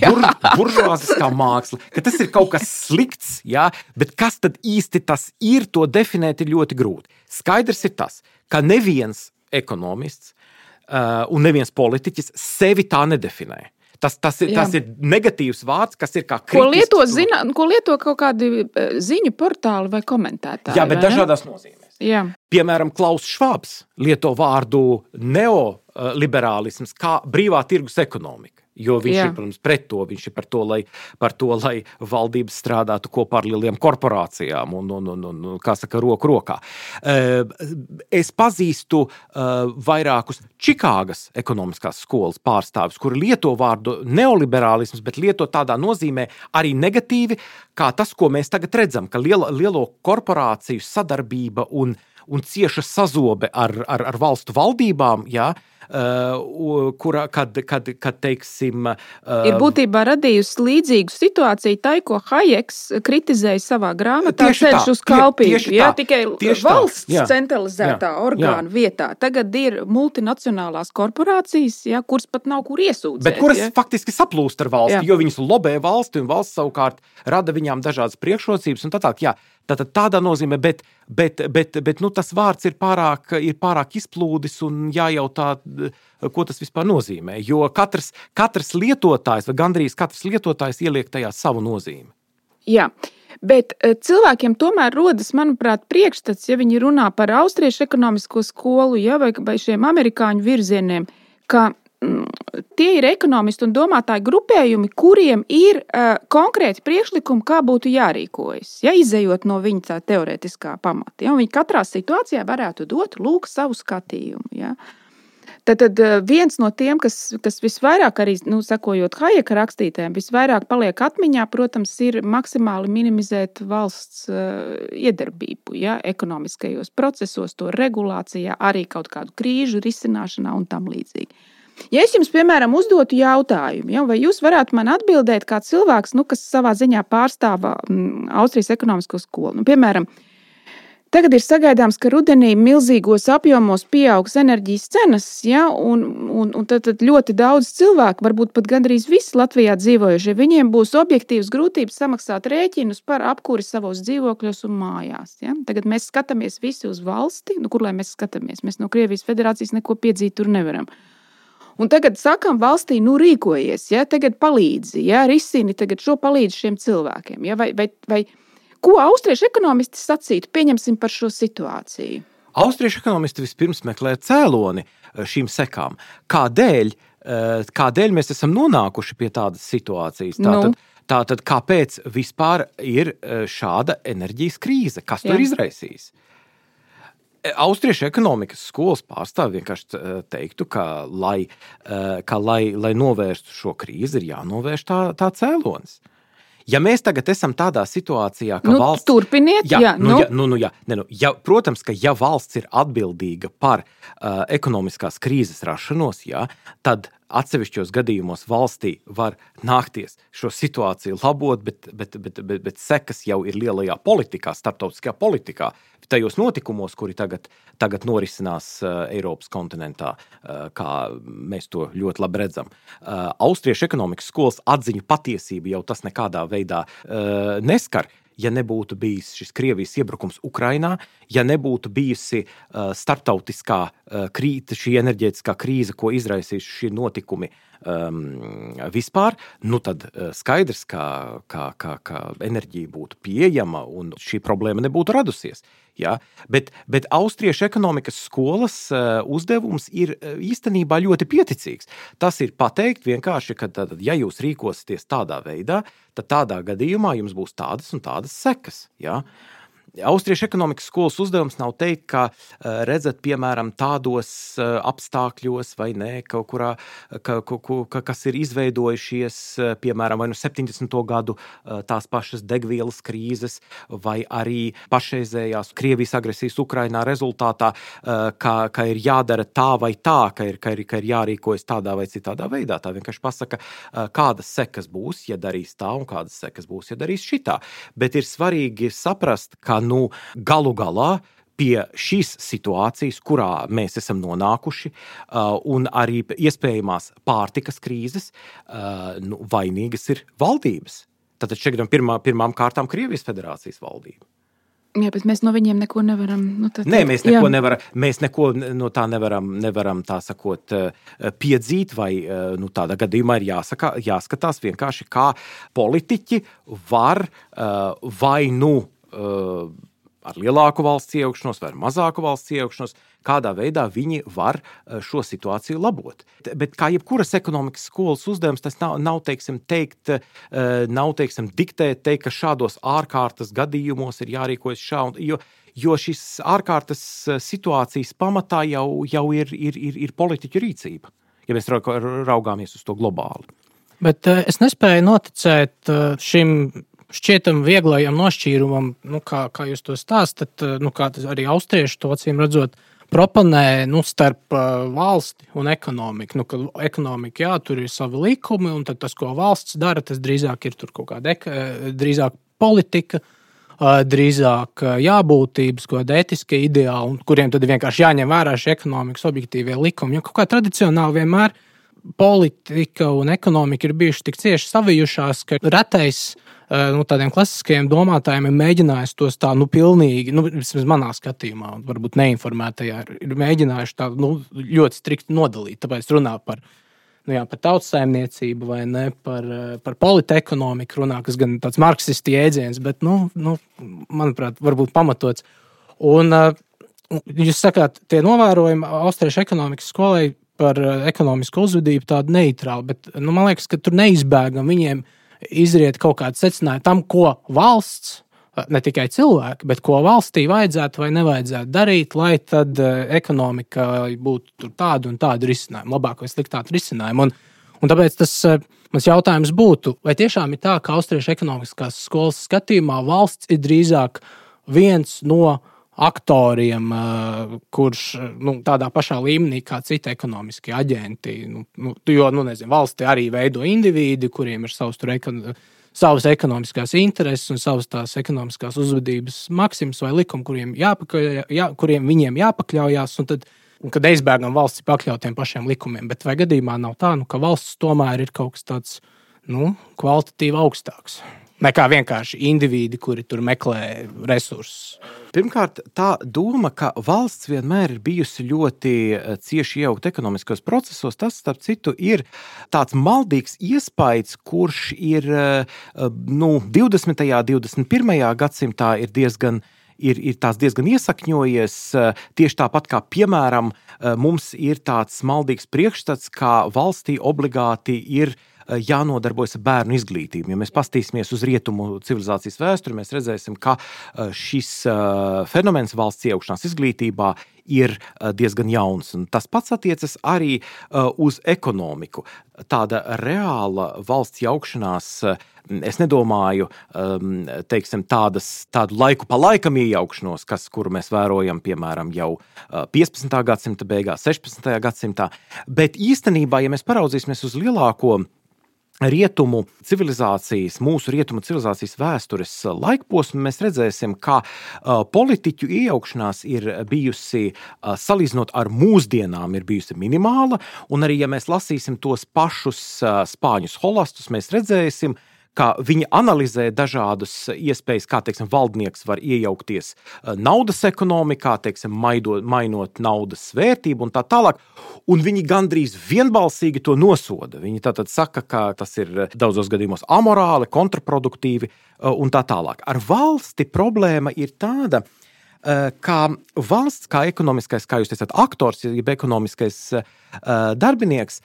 bur, buržuāziskā māksla, ka tas ir kaut kas slikts, jā, bet kas tad īsti tas ir, to definēt ir ļoti grūti. Skaidrs ir tas, ka neviens ekonomists uh, un neviens politiķis sevi tā nedefinē. Tas, tas, ir, tas ir negatīvs vārds, kas ir kā kritisks. Ko lieto, zina, ko lieto kaut kādi ziņu portāli vai komentētāji? Jā, bet dažādās nozīmēs. Jā. Piemēram, Klaus Švābs lieto vārdu neoliberālisms kā brīvā tirgus ekonomika. Jo viņš Jā. ir, protams, pret to, viņš ir par to, lai, par to, lai valdības strādātu kopā ar lieliem korporācijām un, un, un, un kā saka, roku rokā. Es pazīstu vairākus Čikāgas ekonomiskās skolas pārstāvis, kuri lieto vārdu neoliberālisms, bet lieto tādā nozīmē arī negatīvi, kā tas, ko mēs tagad redzam, ka lielo, lielo korporāciju sadarbība un, un cieša sazobe ar, ar, ar valstu valdībām, jā, Uh, kura, kad, kad, kad teiksim... Uh, ir būtībā radījusi līdzīgu situāciju tai, ko Hajeks kritizēja savā grāmatā Ceļš uz kalpību. Jā, tikai valsts tā, jā, centralizētā jā, orgānu jā. vietā. Tagad ir multinacionālās korporācijas, jā, kuras pat nav kur iesūdzēt. Bet kuras jā. faktiski saplūst ar valsti, jā. jo viņas lobē valsti un valsts savukārt rada viņām dažādas priekšrocības un tā tā. Jā. Tātad tādā nozīmē, bet, bet, bet, bet nu, tas vārds ir pārāk, ir pārāk izplūdis un jājautā, ko tas vispār nozīmē. Jo katrs, katrs lietotājs vai gandrīz katrs lietotājs ieliek tajā savu nozīmi. Jā, bet cilvēkiem tomēr rodas, manuprāt, priekšstats, ja viņi runā par austriešu ekonomisko skolu, ja, vai, vai šiem amerikāņu virzieniem, ka tie ir ekonomisti un domātāji grupējumi, kuriem ir uh, konkrēti priekšlikumi, kā būtu jārīkojas, ja, izejot no viņa tā teorētiskā pamata. Ja, un viņi katrā situācijā varētu dot lūk savu skatījumu. Ja. Tad, tad viens no tiem, kas, kas visvairāk arī, nu, sekojot Hajeka rakstītēm, visvairāk paliek atmiņā, protams, ir maksimāli minimizēt valsts uh, iedarbību, ja, ekonomiskajos procesos, to regulācijā, arī kaut kādu krīžu risināšanā un tam līdzīgi. Ja es jums, piemēram, uzdotu jautājumu, ja, vai jūs varētu man atbildēt kā cilvēks, nu, kas savā ziņā pārstāv mm, Austrijas ekonomisko skolu? Nu, piemēram, tagad ir sagaidāms, ka rudenī milzīgos apjomos pieaugs enerģijas cenas, ja, un, un, un tad, tad ļoti daudz cilvēku, varbūt pat gandrīz visi Latvijā dzīvojušie, viņiem būs objektīvas grūtības samaksāt rēķinus par apkuri savos dzīvokļos un mājās. Ja. Tagad mēs skatāmies visi uz valsti, nu, kur lai mēs skatāmies? Mēs no Krievijas federācijas neko piedzīt tur nevaram. Un tagad sakam valstī, nu rīkojies, ja, tagad palīdzi, ja, risini tagad šo palīdzi šiem cilvēkiem. Ja, vai, vai, vai ko austriešu ekonomisti sacītu, pieņemsim par šo situāciju? Austriešu ekonomisti vispirms meklē cēloni šīm sekām. Kādēļ, kādēļ mēs esam nonākuši pie tādas situācijas? Tātad, nu. tātad kāpēc vispār ir šāda enerģijas krīze? Kas to ir izraisījis? Austriešu ekonomikas skolas pārstāvi vienkārši teiktu, ka, lai, ka lai, lai novērstu šo krīzi, ir jānovērš tā, tā cēlonis. Ja mēs tagad esam tādā situācijā, ka nu, valsts... Turpiniet, jā. jā nu, nu. Ja, nu, nu, jā, ne, nu, ja, protams, ka ja valsts ir atbildīga par uh, ekonomiskās krīzes rašanos, jā, tad atsevišķos gadījumos valstī var nākties šo situāciju labot, bet, bet, bet, bet, bet sekas jau ir lielajā politikā, starptautiskajā politikā, tajos notikumos, kuri tagad, tagad norisinās uh, Eiropas kontinentā, uh, kā mēs to ļoti labi redzam. Uh, Austriešu ekonomikas skolas atziņu patiesību jau tas nekādā veidā uh, neskar. Ja nebūtu bijis šis Krievijas iebrukums Ukrainā, ja nebūtu bijusi uh, starptautiskā uh, krīze, šī enerģētiskā krīze, ko izraisījuši šie notikumi um, vispār, nu tad uh, skaidrs, ka, ka, ka, ka enerģija būtu pieejama un šī problēma nebūtu radusies. Ja? Bet, bet austriešu ekonomikas skolas uh, uzdevums ir uh, īstenībā ļoti pieticīgs. Tas ir pateikt vienkārši, ka tad, ja jūs rīkosieties tādā veidā, tad tādā gadījumā jums būs tādas un tādas sekas. Ja? Austriešu ekonomikas skolas uzdevums nav teikt, ka redzat, piemēram, tādos apstākļos vai ne, kaut kurā, ka, ka, kas ir izveidojušies, piemēram, vai nu septiņdesmito gadu tās pašas degvielas krīzes, vai arī pašreizējās Krievijas agresijas Ukrainā rezultātā, ka, ka ir jādara tā vai tā, ka ir, ka, ir, ka ir jārīkojas tādā vai citādā veidā. Tā vienkārši pasaka, kādas sekas būs, ja darīs tā, un kādas sekas būs, ja darīs šitā. Bet ir svarīgi saprast, ka nu, galu galā pie šīs situācijas, kurā mēs esam nonākuši, un arī iespējamās pārtikas krīzes, nu, vainīgas ir valdības. Tātad šeit pirmā, pirmām kārtām Krievijas federācijas valdība. Jā, bet mēs no viņiem neko nevaram. Nu, tā, Nē, mēs neko, nevaram, mēs neko no tā nevaram, nevaram tā sakot, piedzīt, vai nu, tādā gadījumā ir jāsaka, jāskatās vienkārši, kā politiķi var vai nu ar lielāku valsts iejaukšanos vai ar mazāku valsts iejaukšanos, kādā veidā viņi var šo situāciju labot. Bet kā jebkuras ekonomikas skolas uzdevums, tas nav, nav teiksim, teikt, nav, teiksim, diktēt, teikt, ka šādos ārkārtas gadījumos ir jārīkojas šā, jo, jo šis ārkārtas situācijas pamatā jau, jau ir, ir, ir, ir politiķu rīcība, ja mēs raugāmies uz to globāli. Bet es nespēju noticēt šim šķietam vieglajam nošķīrumam, nu, kā, kā jūs to stāstat, nu, kā tas arī austrieši to acīm redzot, proponē nu, starp uh, valsti un ekonomiku. Nu, ka ekonomika, jā, tur ir savi likumi, un tad tas, ko valsts dara, tas drīzāk ir tur kaut kāda eka, drīzāk politika, uh, drīzāk uh, jābūtības, kaut kāda etiska ideāla, un kuriem tad vienkārši jāņem vērā šie ekonomikas objektīvie likumi. Jo kaut kā tradicionāli vienmēr politika un ekonomika ir bijuši tik cieši savijušās, ka retais nu, tādiem klasiskajiem domātājiem ir mēģinājis tos tā, nu, pilnīgi, nu, vismaz manā skatījumā, un varbūt neinformētajā, ir mēģinājuši tā, nu, ļoti strikti nodalīt. Tāpēc runā par, nu, jā, par tautsaimniecību vai ne, par, par politekonomiku runā, kas gan tāds marksisti jēdziens, bet, nu, nu, manuprāt, varbūt pamatots. Un jūs sakāt, tie novērojumi austriešu ekonomikas skolai par ekonomisku uzvedību tādu neitrālu, bet, nu, man liekas, ka tur neizbēgam viņiem izriet kaut kāds secinājums tam, ko valsts, ne tikai cilvēki, bet ko valstī vajadzētu vai nevajadzētu darīt, lai tad ekonomika būtu tāda un tāda risinājuma, labāk vai sliktāka risinājuma. Un, un tāpēc tas mans jautājums būtu, vai tiešām ir tā, ka austriešu ekonomiskās skolas skatījumā valsts ir drīzāk viens no aktoriem, kurš nu, tādā pašā līmenī kā citi ekonomiskie aģenti. Nu, nu, jo, nu, nezinu, valsti arī veido individi, kuriem ir savs, tur, ekon- savas ekonomiskās intereses un savas tās ekonomiskās uzvedības maksimas vai likumi, kuriem, jāpakļauj, jā, kuriem viņiem jāpakļaujās, un tad, un kad aizbēgam valsts pakļautiem pašiem likumiem. Bet vai gadījumā nav tā, nu, ka valsts tomēr ir kaut kas tāds nu, kvalitatīvi augstāks? Nekā vienkārši individi, kuri tur meklē resursus. Pirmkārt, tā doma, ka valsts vienmēr ir bijusi ļoti cieši iejaukta ekonomiskos procesos, tas, starp citu, ir tāds maldīgs iespējas, kurš ir nu, divdesmitajā, divdesmit pirmajā gadsimtā ir diezgan Ir, ir tās diezgan iesakņojies, tieši tāpat kā, piemēram, mums ir tāds maldīgs priekšstats, kā valstī obligāti ir jānodarbojas ar bērnu izglītību. Ja mēs pastīsimies uz rietumu civilizācijas vēsturi, mēs redzēsim, ka šis fenomens valsts iejaukšanās izglītībā ir diezgan jauns. Un tas pats attiecas arī uz ekonomiku. Tāda reāla valsts jaukšanās, es nedomāju, teiksim, tādas, tādu laiku pa laikam iejaukšanos, kas, kuru mēs vērojam, piemēram, jau piecpadsmitā gadsimta beigās, sešpadsmitajā gadsimtā, bet īstenībā, ja mēs paraudzīsimies uz lielāko rietumu civilizācijas, mūsu rietumu civilizācijas vēstures laikposmu, mēs redzēsim, ka uh, politiķu iejaukšanās ir bijusi, uh, salīdzinot ar mūsdienām, ir bijusi minimāla, un arī, ja mēs lasīsim tos pašus uh, spāņu holastus, mēs redzēsim, ka viņi analizē dažādas iespējas, kā, teiksim, valdnieks var iejaukties naudas ekonomikā, teiksim, maidot, mainot naudas vērtību un tā tālāk, un viņi gandrīz vienbalsīgi to nosoda. Viņi tātad saka, ka tas ir daudzos gadījumos amorāli, kontraproduktīvi un tā tālāk. Ar valsti problēma ir tāda, kā valsts, kā ekonomiskais, kā jūs teicāt, aktors, jeb ekonomiskais darbinieks,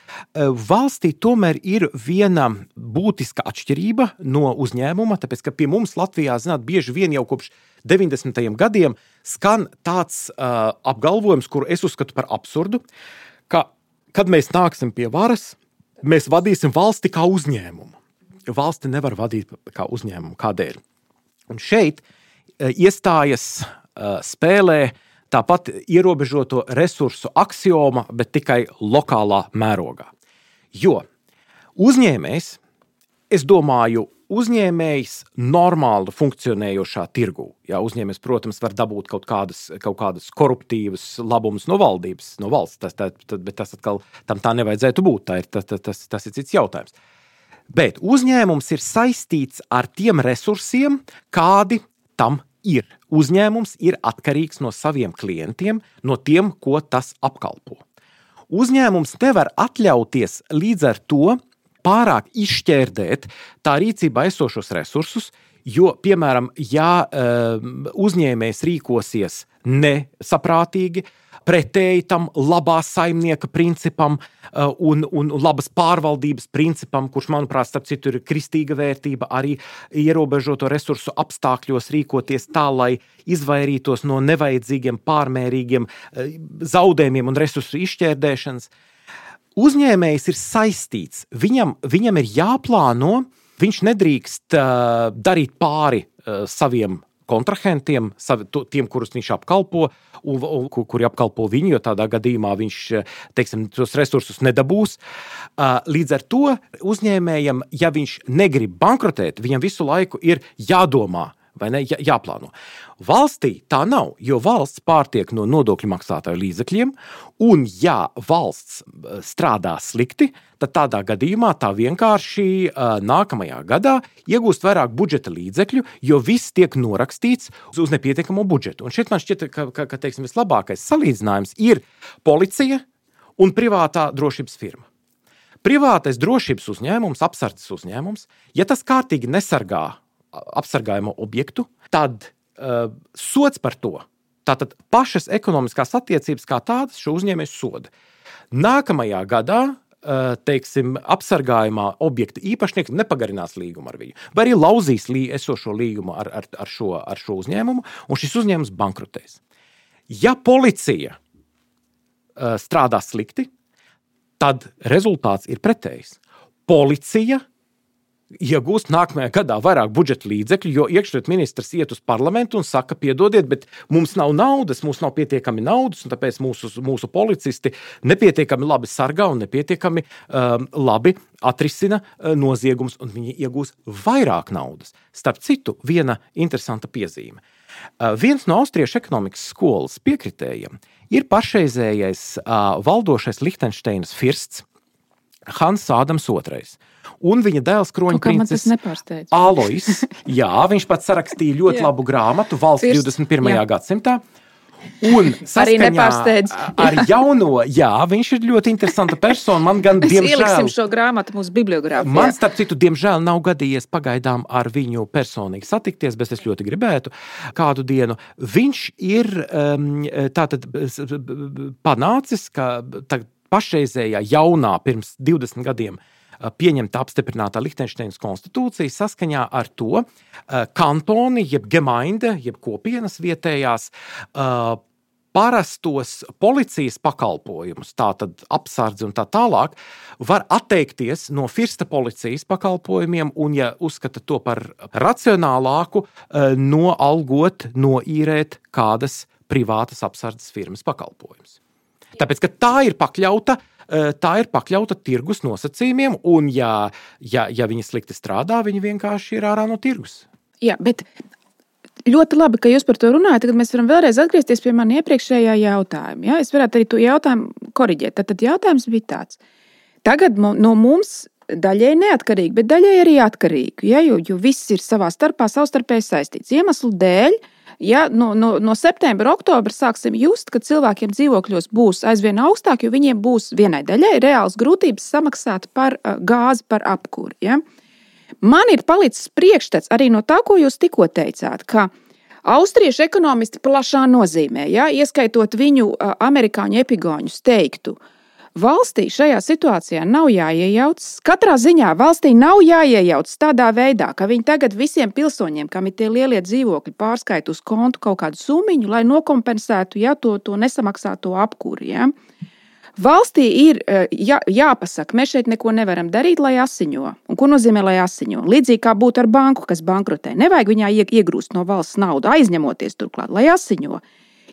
valstī tomēr ir viena būtiska atšķirība no uzņēmuma, tāpēc, ka pie mums Latvijā, zināt, bieži vien jau kopš deviņdesmitajiem gadiem skan tāds apgalvojums, kuru es uzskatu par absurdu, ka, kad mēs nāksim pie varas, mēs vadīsim valsti kā uzņēmumu. Valsti nevar vadīt kā uzņēmumu. Kādēļ? Un šeit iestājas spēlē tāpat ierobežoto resursu aksioma, bet tikai lokālā mērogā. Jo uzņēmējs, es domāju, uzņēmējs normāli funkcionējošā tirgū. Jā, uzņēmējs, protams, var dabūt kaut kādas, kaut kādas koruptīvas labumus no valdības, no valsts, tas, tā, bet tas atkal tam tā nevajadzētu būt, tā ir, tas, tas, tas ir cits jautājums. Bet uzņēmums ir saistīts ar tiem resursiem, kādi tam ir. Uzņēmums ir atkarīgs no saviem klientiem, no tiem, ko tas apkalpo. Uzņēmums nevar atļauties līdz ar to pārāk izšķērdēt tā rīcībā esošos resursus, jo, piemēram, ja uzņēmējs rīkosies nesaprātīgi, pretēji tam labā saimnieka principam un, un labas pārvaldības principam, kurš, manuprāt, starp citu ir kristīga vērtība, arī ierobežoto resursu apstākļos rīkoties tā, lai izvairītos no nevajadzīgiem, pārmērīgiem zaudējumiem un resursu izšķērdēšanas. Uzņēmējs ir saistīts, viņam, viņam ir jāplāno, viņš nedrīkst uh, darīt pāri uh, saviem kontrahentiem, savi, to, tiem, kurus viņš apkalpo, un, un, kuri apkalpo viņu, jo tādā gadījumā viņš, teiksim, tos resursus nedabūs. Uh, līdz ar to uzņēmējam, ja viņš negrib bankrotēt, viņam visu laiku ir jādomā, vai ne, jā, jāplāno. Valstī tā nav, jo valsts pārtiek no nodokļu maksātāju līdzekļiem, un ja valsts strādā slikti, tad tādā gadījumā tā vienkārši uh, nākamajā gadā iegūst vairāk budžeta līdzekļu, jo viss tiek norakstīts uz nepietiekamo budžetu. Un šeit man šķiet, ka, ka, ka teiksim, vislabākais salīdzinājums ir policija un privātā drošības firma. Privātais drošības uzņēmums, apsardzes uzņēmums, ja tas kārtīgi nesargā apsargājumu objektu, tad uh, sods par to, tātad pašas ekonomiskās attiecības kā tādas šo uzņēmēju soda. Nākamajā gadā, uh, teiksim, apsargājumā objekta īpašnieks nepagarinās līgumu ar viņu, vai arī lauzīs lī, esošo līgumu ar, ar, ar, šo, ar šo uzņēmumu, un šis uzņēmums bankrotēs. Ja policija uh, strādā slikti, tad rezultāts ir pretējs. Policija iegūst nākamajā gadā vairāk budžeta līdzekļu, jo iekšlietu ministrs iet uz parlamentu un saka, piedodiet, bet mums nav naudas, mums nav pietiekami naudas, un tāpēc mūsu, mūsu policisti nepietiekami labi sargā un nepietiekami um, labi atrisina uh, noziegums, un viņi iegūs vairāk naudas. Starp citu, viena interesanta piezīme. Uh, viens no austriešu ekonomikas skolas piekritējiem ir pašreizējais uh, valdošais Lihtenšteinas firsts Hans Ādams otrais. Un viņa dēls kroņprinces Alois. Jā, viņš pats sarakstīja ļoti labu grāmatu Valsts First, divdesmit pirmajā jā. gadsimtā. Un saskaņā ar jauno, jā, viņš ir ļoti interesanta persona. Man gan, Mēs diemžēl, ieliksim šo grāmatu mūsu bibliogrāfijā. Man, starp citu, diemžēl nav gadījies pagaidām ar viņu personīgi satikties, bet es ļoti gribētu kādu dienu. Viņš ir um, tātad panācis, ka tā, pašreizējā jaunā pirms divdesmit gadiem pieņemta apstiprinātā Lihtenšteinas konstitūcija saskaņā ar to kantoni, jeb gemeinde, jeb kopienas vietējās parastos policijas pakalpojumus, tātad apsardzi un tā tālāk, var atteikties no firsta policijas pakalpojumiem un, ja uzskata to par racionālāku, noalgot, noīrēt kādas privātas apsardzes firmas pakalpojumus. Tāpēc, ka tā ir pakļauta Tā ir pakļauta tirgus nosacījumiem, un ja, ja, ja viņi slikti strādā, viņi vienkārši ir ārā no tirgus. Jā, bet ļoti labi, ka jūs par to runājat. Tagad mēs varam vēlreiz atgriezties pie mani iepriekšējā jautājuma. Ja? Es varētu arī to jautājumu koriģēt. Tad jautājums bija tāds. Tagad no mums daļai neatkarīgi, bet daļai arī atkarīgi, ja? jo, jo viss ir savā starpā savstarpēji saistīts. Iemeslu dēļ, ja no, no, no septembra, oktobra sāksim just, ka cilvēkiem dzīvokļos būs aizvien augstāk, jo viņiem būs vienai daļai reāls grūtības samaksāt par uh, gāzi, par apkuri. Ja? Man ir palicis priekšstats arī no tā, ko jūs tikko teicāt, ka Austriešu ekonomisti plašā nozīmē, ja, ieskaitot viņu uh, amerikāņu epigoņus, teiktu, valstī šajā situācijā nav jāiejaucas. Katrā ziņā valstī nav jāiejaucas tādā veidā, ka viņi tagad visiem pilsoņiem, kam ir tie lielie dzīvokļi, pārskaita uz kontu kaut kādu summiņu, lai nokompensētu ja, to, to nesamaksāto apkuri. Ja. Valstī ir jā, jāpasaka, mēs šeit neko nevaram darīt, lai asiņo. Un ko nozīmē, lai asiņo? Līdzīgi kā būtu ar banku, kas bankrotē. Nevajag viņā iegrūst no valsts naudu, aizņemoties turklāt, lai asiņo.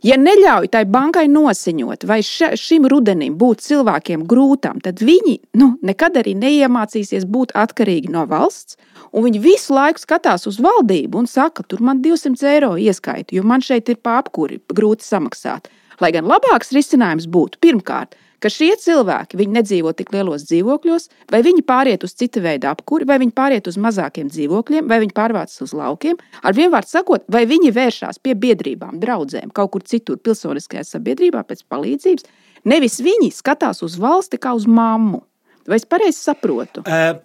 Ja neļauj tai bankai nosiņot, vai ša, šim rudenim būt cilvēkiem grūtām, tad viņi nu, nekad arī neiemācīsies būt atkarīgi no valsts, un viņi visu laiku skatās uz valdību un saka, tur man divsimt eiro ieskaita, jo man šeit ir pa apkuri grūti samaksāt. Lai gan labāks risinājums būtu pirmkārt, ka šie cilvēki, viņi nedzīvo tik lielos dzīvokļos, vai viņi pāriet uz cita veida apkuri, vai viņi pāriet uz mazākiem dzīvokļiem, vai viņi pārvācas uz laukiem, ar vienvārdu sakot, vai viņi vēršās pie biedrībām, draudzēm, kaut kur citur pilsoniskajā sabiedrībā pēc palīdzības, nevis viņi skatās uz valsti kā uz mammu. Vai es pareizi saprotu? Uh...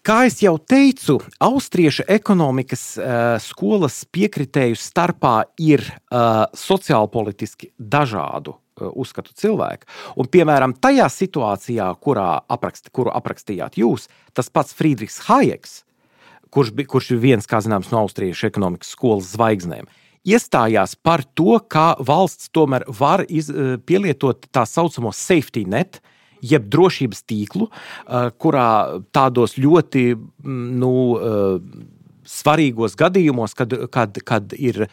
Kā es jau teicu, austriešu ekonomikas uh, skolas piekritēju starpā ir uh, sociālpolitiski dažādu uh, uzskatu cilvēku. Un, piemēram, tajā situācijā, kurā aprakst, kuru aprakstījāt jūs, tas pats Friedrichs Hayeks, kurš, bi, kurš ir viens, kā zināms, no austriešu ekonomikas skolas zvaigznēm, iestājās par to, kā valsts tomēr var iz, uh, pielietot tā saucamo safety net, jeb drošības tīklu, kurā tādos ļoti nu, svarīgos gadījumos, kad, kad, kad ir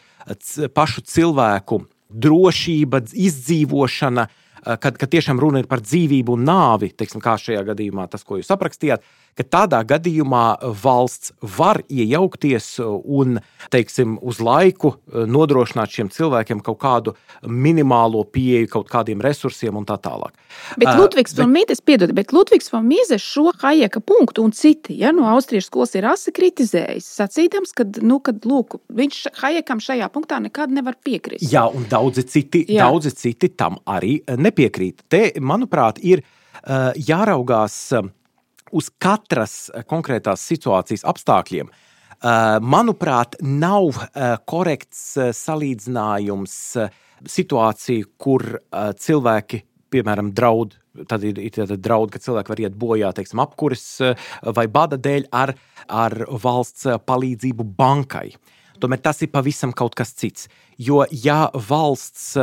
pašu cilvēku drošība, izdzīvošana, kad, kad tiešām runa ir par dzīvību un nāvi, teiksim, kā šajā gadījumā tas, ko jūs aprakstījāt, ka tādā gadījumā valsts var iejaukties un, teiksim, uz laiku nodrošināt šiem cilvēkiem kaut kādu minimālo pieeju kaut kādiem resursiem un tā tālāk. Bet Ludvigs uh, bet... von Mises, piedod, bet Ludvigs von Mises šo Hayeka punktu un citi, ja, no austriešu skolas ir asi kritizējis, sacīdams, ka, nu, kad, lūk, viņš Hayekam šajā punktā nekad nevar piekrist. Jā, un daudzi citi, daudzi citi tam arī nepiekrīt. Te, manuprāt, ir uh, jāraugās uh, uz katras konkrētās situācijas apstākļiem. Manuprāt, nav korekts salīdzinājums situāciju, kur cilvēki, piemēram, draud, tad ir, ir draud, ka cilvēki var iet bojā, teiksim, apkuris vai bada dēļ ar, ar valsts palīdzību bankai. Tomēr tas ir pavisam kaut kas cits. Jo, ja valsts...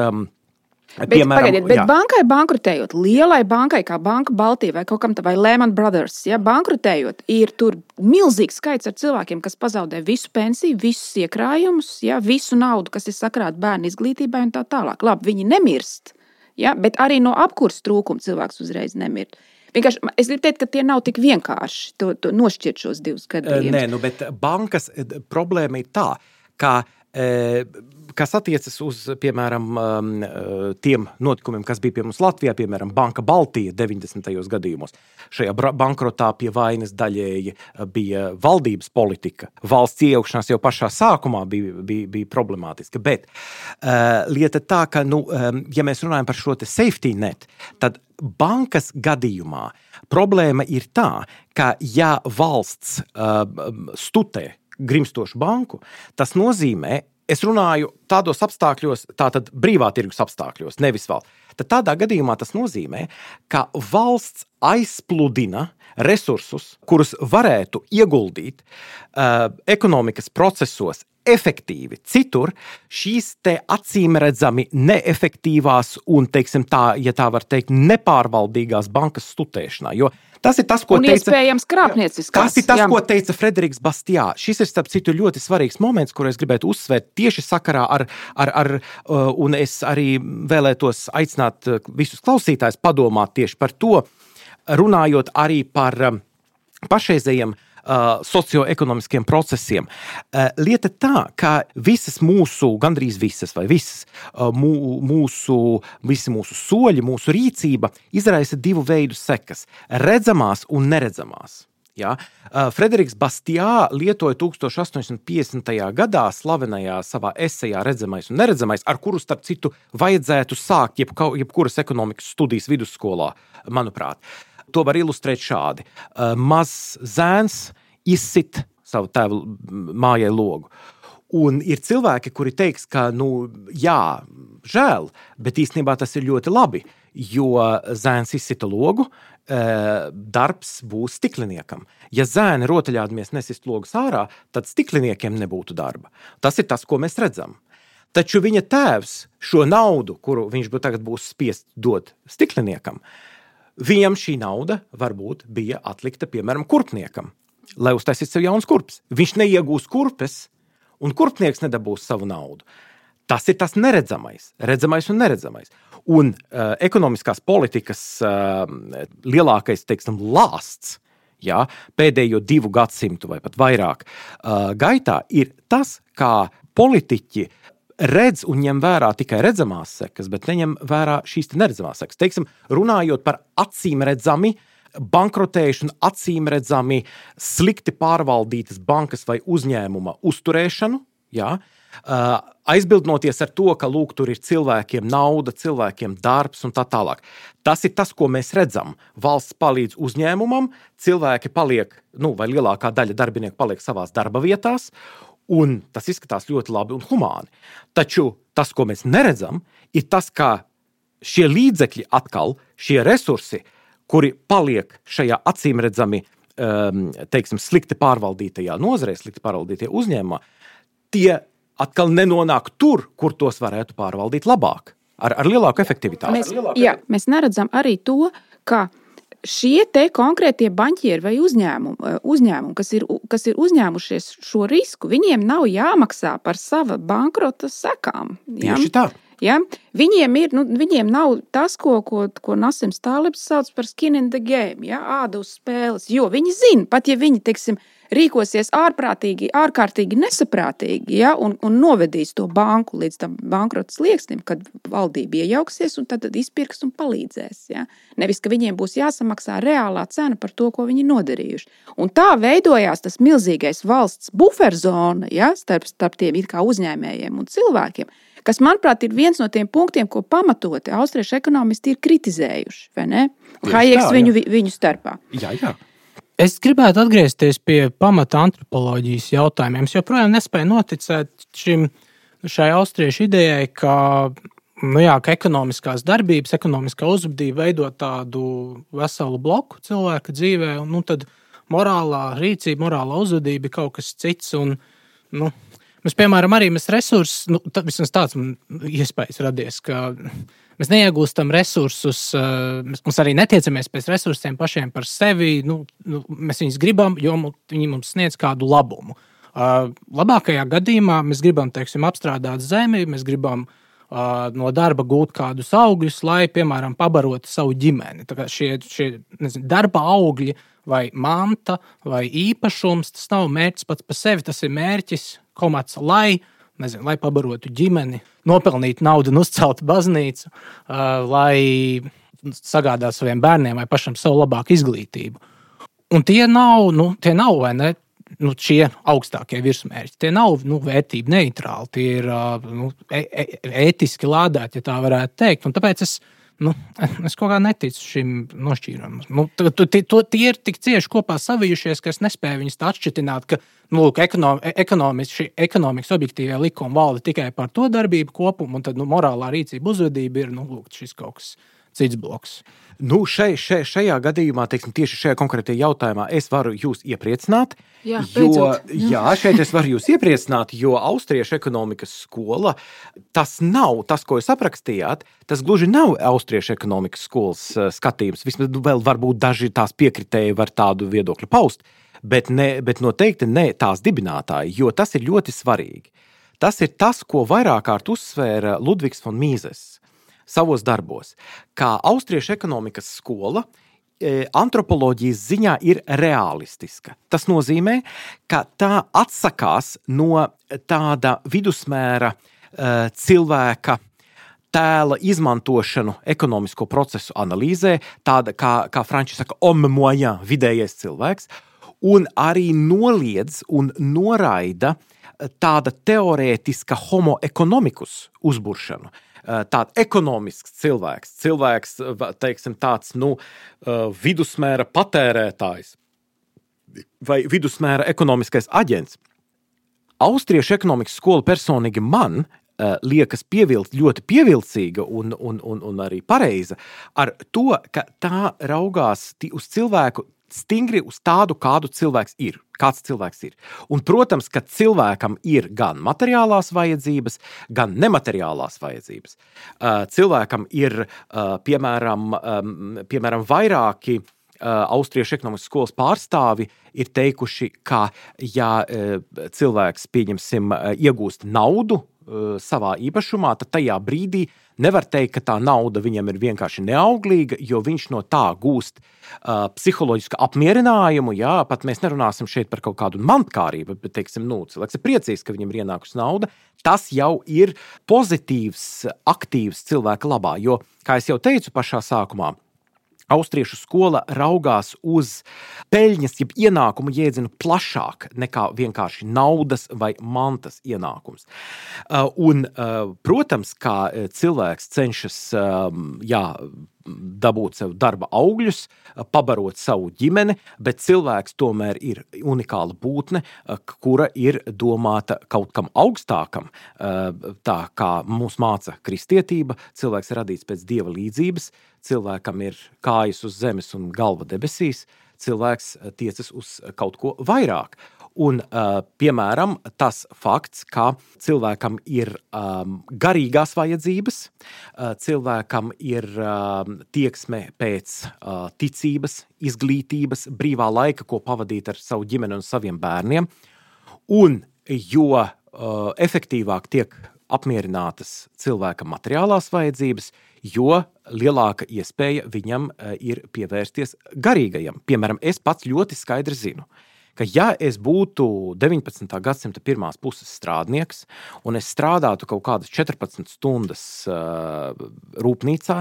Bet, piemēram, pagaidiet, bet jā. Bankai bankrutējot, lielai bankai kā Banka Baltija vai kaut kam tā, vai Lehman Brothers, ja, bankrutējot, ir tur milzīgs skaits ar cilvēkiem, kas pazaudē visu pensiju, visus iekrājumus, ja, visu naudu, kas ir sakrāta bērnu izglītībai un tā tālāk. Labi, viņi nemirst, ja, bet arī no apkurs trūkuma cilvēks uzreiz nemirst. Vienkārši, es gribu teikt, ka tie nav tik vienkārši to, to nošķirt šos divus gadījumus. Nē, nu, bet bankas problēma ir tā, ka kas attiecas uz, piemēram, tiem notikumiem, kas bija pie mums Latvijā, piemēram, Banka Baltija deviņdesmitajos gadījumos. Šajā bankrotā pie vainas daļēji bija valdības politika. Valsts iejaukšanās jau pašā sākumā bija, bija, bija problemātiska, bet uh, lieta tā, ka, nu, ja mēs runājam par šo te safety net, tad bankas gadījumā problēma ir tā, ka ja valsts uh, stutē grimstošu banku, tas nozīmē, es runāju tādos apstākļos, tātad brīvā tirgus apstākļos, nevis valsts. Tad tādā gadījumā tas nozīmē, ka valsts aizpludina resursus, kurus varētu ieguldīt uh, ekonomikas procesos efektīvi. Citur šīs te acīmredzami neefektīvās un, teiksim tā, ja tā var teikt, nepārvaldīgās bankas stutēšanā, jo tas ir tas, ko un teica... Un iespējams krāpnieciskās. Tas ir tas, jā. ko teica Frederiks Bastiā. Šis ir, starp citu, ļoti svarīgs moments, kur es gribētu uzsvērt tieši sakarā ar, ar, ar uh, un es arī vēlētos aicināt visus klausītājus padomāt tieši par to, runājot arī par um, pašreizējiem Uh, socioekonomiskiem procesiem. Uh, lieta tā, ka visas mūsu, gandrīz visas vai visas uh, mū, mūsu, visi mūsu soļi, mūsu rīcība izraisa divu veidu sekas – redzamās un neredzamās. Ja? Uh, Frederiks Bastiā lietoja tūkstoš astoņsimt piecdesmitajā gadā slavenajā savā esejā Redzamais un neredzamais, ar kuru, starp citu, vajadzētu sākt jeb, jebkuras ekonomikas studijas vidusskolā, manuprāt. To var ilustrēt šādi. Mazs zēns izsit savu tēvu mājai logu. Un ir cilvēki, kuri teiks, ka, nu, jā, žēl, bet īstenībā tas ir ļoti labi, jo zēns izsita logu, darbs būs stikliniekam. Ja zēni rotaļādamies nesist logus ārā, tad stikliniekiem nebūtu darba. Tas ir tas, ko mēs redzam. Taču viņa tēvs šo naudu, kuru viņš tagad būs spiest dot stikliniekam, viņam šī nauda varbūt bija atlikta, piemēram, kurpniekam, lai uztaisītu sev jauns kurps. Viņš neiegūs kurpes, un kurpnieks nedabūs savu naudu. Tas ir tas neredzamais, redzamais un neredzamais. Un uh, ekonomiskās politikas uh, lielākais, teiksim, lāsts, jā, pēdējo divu gadsimtu vai pat vairāk uh, gaitā ir tas, kā politiķi redz un ņem vērā tikai redzamās sekas, bet neņem vērā šīs te neredzamās sekas. Teiksim, runājot par acīm redzami, bankrotējuši un acīm redzami slikti pārvaldītas bankas vai uzņēmuma uzturēšanu, jā, uh, aizbildnoties ar to, ka lūk, tur ir cilvēkiem nauda, cilvēkiem darbs un tā tālāk. Tas ir tas, ko mēs redzam. Valsts palīdz uzņēmumam, cilvēki paliek, nu, vai lielākā daļa darbinieku paliek savās darba vietās, un tas izskatās ļoti labi un humāni. Taču tas, ko mēs neredzam, ir tas, ka šie līdzekļi atkal, šie resursi, kuri paliek šajā acīmredzami, um, teiksim, slikti pārvaldītajā nozarē, slikti pārvaldītajā uzņēmumā, tie atkal nenonāk tur, kur tos varētu pārvaldīt labāk, ar, ar lielāku efektivitāti. Mēs, jā, mēs neredzam arī to, ka šie te konkrētie baņķieri vai uzņēmumi, uzņēmumi kas, ir, kas ir uzņēmušies šo risku, viņiem nav jāmaksā par sava bankrota sekām. Ja? Tieši tā. Ja? Viņiem, ir, nu, viņiem nav tas, ko, ko, ko Nasims Tālibs sauc par skin in the game, ja? Āda uz spēles, jo viņi zina, pat ja viņi, teiksim, rīkosies ārprātīgi, ārkārtīgi nesaprātīgi, ja, un, un novedīs to banku līdz tam bankrota slieksnim, kad valdība iejauksies un tad, tad izpirks un palīdzēs. Ja. Nevis, ka viņiem būs jāsamaksā reālā cena par to, ko viņi nodarījuši. Un tā veidojās tas milzīgais valsts buferzona, ja, starp, starp tiem it kā uzņēmējiem un cilvēkiem, kas, manuprāt, ir viens no tiem punktiem, ko pamatoti austriešu ekonomisti ir kritizējuši, vai ne? Hajeks viņu, viņu starpā. Jā, jā. Es gribētu atgriezties pie pamata antropoloģijas jautājumiem. Es joprojām nespēju noticēt šim, šai austriešu idejai, ka, nu jā, ka ekonomiskās darbības, ekonomiskā uzvedība veido tādu veselu bloku cilvēka dzīvē, un nu, tad morālā rīcība, morālā uzvedība ir kaut kas cits. Un, nu, mēs, piemēram, arī mēs resursus, nu, vismaz tāds man iespējas radies, ka mēs neiegūstam resursus, mēs arī netiecamies pēc resursiem pašiem par sevi, nu, nu, mēs viņus gribam, jo viņi mums sniedz kādu labumu. Labākajā gadījumā mēs gribam, teiksim, apstrādāt zemi, mēs gribam no darba gūt kādus augļus, lai, piemēram, pabarotu savu ģimeni. Tā kā šie, šie nezinu, darba augļi vai manta vai īpašums, tas nav mērķis pats par sevi, tas ir mērķis, komats, lai Nezinu, lai pabarotu ģimeni, nopelnītu naudu un uzceltu baznīcu, uh, lai sagādātu saviem bērniem vai pašam savu labāku izglītību. Un tie nav, nu, tie nav vai ne, nu, šie augstākie virsmērķi. Tie nav nu, vērtību neitrāli, tie ir uh, nu, e- ētiski lādēti, ja tā varētu teikt. Un tāpēc es, nu, es kaut kā neticu šim nošķīrumam. Nu, tie, tie ir tik cieši kopā savijušies, ka es nespēju viņus tā atšķitināt, ka nu, ekonom, ekonomiski, šī ekonomikas objektīvie likumi valda tikai par to darbību kopumu, un tad nu, morālā rīcība uzvedība ir nu, lūk, šis kaut kas cits bloks. Nu, šai, šai, šajā gadījumā, teiksim, tieši šajā konkrētajā jautājumā es varu jūs iepriecināt, jā, jo, jā, šeit es varu jūs iepriecināt, jo austriešu ekonomikas skola, tas nav, tas, ko jūs aprakstījāt, tas gluži nav austriešu ekonomikas skolas skatījums. Vismaz vēl varbūt daži tās piekritēji var tādu viedokļu paust, bet, ne, bet noteikti ne tās dibinātāji, jo tas ir ļoti svarīgi. Tas ir tas, ko vairāk kārt uzsvēra Ludvigs von Mises savos darbos, kā austriešu ekonomikas skola e, antropoloģijas ziņā ir realistiska. Tas nozīmē, ka tā atsakās no tāda vidusmēra e, cilvēka tēla izmantošanu ekonomisko procesu analīzē, tāda, kā, kā franči saka, homme moyen, vidējais cilvēks, un arī noliedz un noraida tāda teorētiska homo economicus uzburšanu. Tāda ekonomisks cilvēks, cilvēks, teiksim, tāds, nu, vidusmēra patērētājs vai vidusmēra ekonomiskais aģents. austriešu ekonomikas skola personīgi man uh, liekas pievilkt, ļoti pievilcīga un, un, un, un arī pareiza ar to, ka tā raugās uz cilvēku stingri uz tādu, kādu cilvēks ir. Kāds cilvēks ir. Un, protams, ka cilvēkam ir gan materiālās vajadzības, gan nemateriālās vajadzības. Uh, cilvēkam ir, uh, piemēram, um, piemēram, vairāki uh, austriešu ekonomikas skolas pārstāvi ir teikuši, ka, ja uh, cilvēks, pieņemsim, uh, iegūst naudu uh, savā īpašumā, tad tajā brīdī nevar teikt, ka tā nauda viņam ir vienkārši neauglīga, jo viņš no tā gūst uh, psiholoģisku apmierinājumu, jā, pat mēs nerunāsim šeit par kaut kādu mantkārību, bet, teiksim, nu, cilvēks ir priecīgs, ka viņam ir ienākusi nauda, tas jau ir pozitīvs, aktīvs cilvēka labā, jo, kā es jau teicu pašā sākumā, austriešu skola raugās uz peļņas, jeb ienākumu jēdzienu plašāk nekā vienkārši naudas vai mantas ienākums. Un, protams, kā cilvēks cenšas, jā, dabūt sev darba augļus, pabarot savu ģimeni, bet cilvēks tomēr ir unikāla būtne, kura ir domāta kaut kam augstākam, tā kā mūs māca kristietība, cilvēks ir radīts pēc Dieva līdzības, cilvēkam ir kājas uz zemes un galva debesīs, cilvēks tiecas uz kaut ko vairāk. Un, piemēram, tas fakts, ka cilvēkam ir um, garīgās vajadzības, cilvēkam ir um, tieksme pēc uh, ticības, izglītības, brīvā laika, ko pavadīt ar savu ģimeni un saviem bērniem. Un jo uh, efektīvāk tiek apmierinātas cilvēka materiālās vajadzības, jo lielāka iespēja viņam uh, ir pievērsties garīgajam. Piemēram, es pats ļoti skaidri zinu, ka ja es būtu deviņpadsmitā gadsimta pirmās puses strādnieks un es strādātu kaut kādas četrpadsmit stundas uh, rūpnīcā,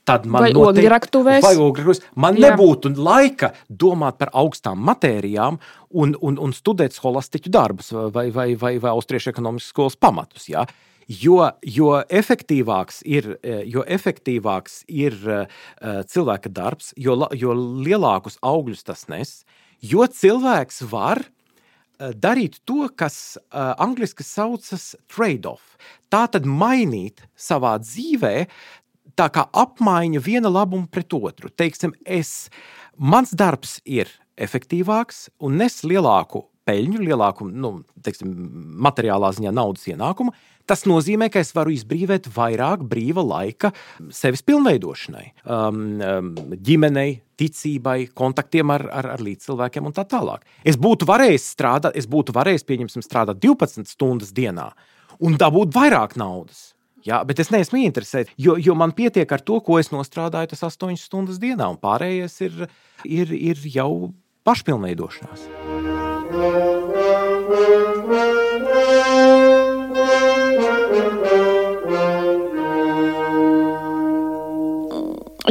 tad man, vai ogļraktuvēs, vai ogļraktuvēs, man jā. nebūtu laika domāt par augstām matērijām un, un, un studēt scholastiķu darbus vai, vai, vai, vai austriešu ekonomikas skolas pamatus. Jā. Jo, jo, efektīvāks ir, jo efektīvāks ir uh, cilvēka darbs, jo, jo lielākus augļus tas nes, jo cilvēks var darīt to, kas uh, angliski saucas trade-off. Tā tad mainīt savā dzīvē tā kā apmaiņa viena labuma pret otru. Teiksim, es, mans darbs ir efektīvāks un nes lielāku peļņu, lielāku, nu, teiksim, materiālā ziņā naudas ienākumu. Tas nozīmē, ka es varu izbrīvēt vairāk brīva laika sevis pilnveidošanai, um, ģimenei, ticībai, kontaktiem ar, ar, ar līdzcilvēkiem un tā tālāk. Es būtu varējis strādāt, es būtu varējis, pieņemsim, strādāt divpadsmit stundas dienā un dabūt vairāk naudas. Jā, bet es neesmu interesēts, jo, jo man pietiek ar to, ko es nostrādāju tas astoņas stundas dienā, un pārējais ir, ir, ir jau pašpilnveidošanās.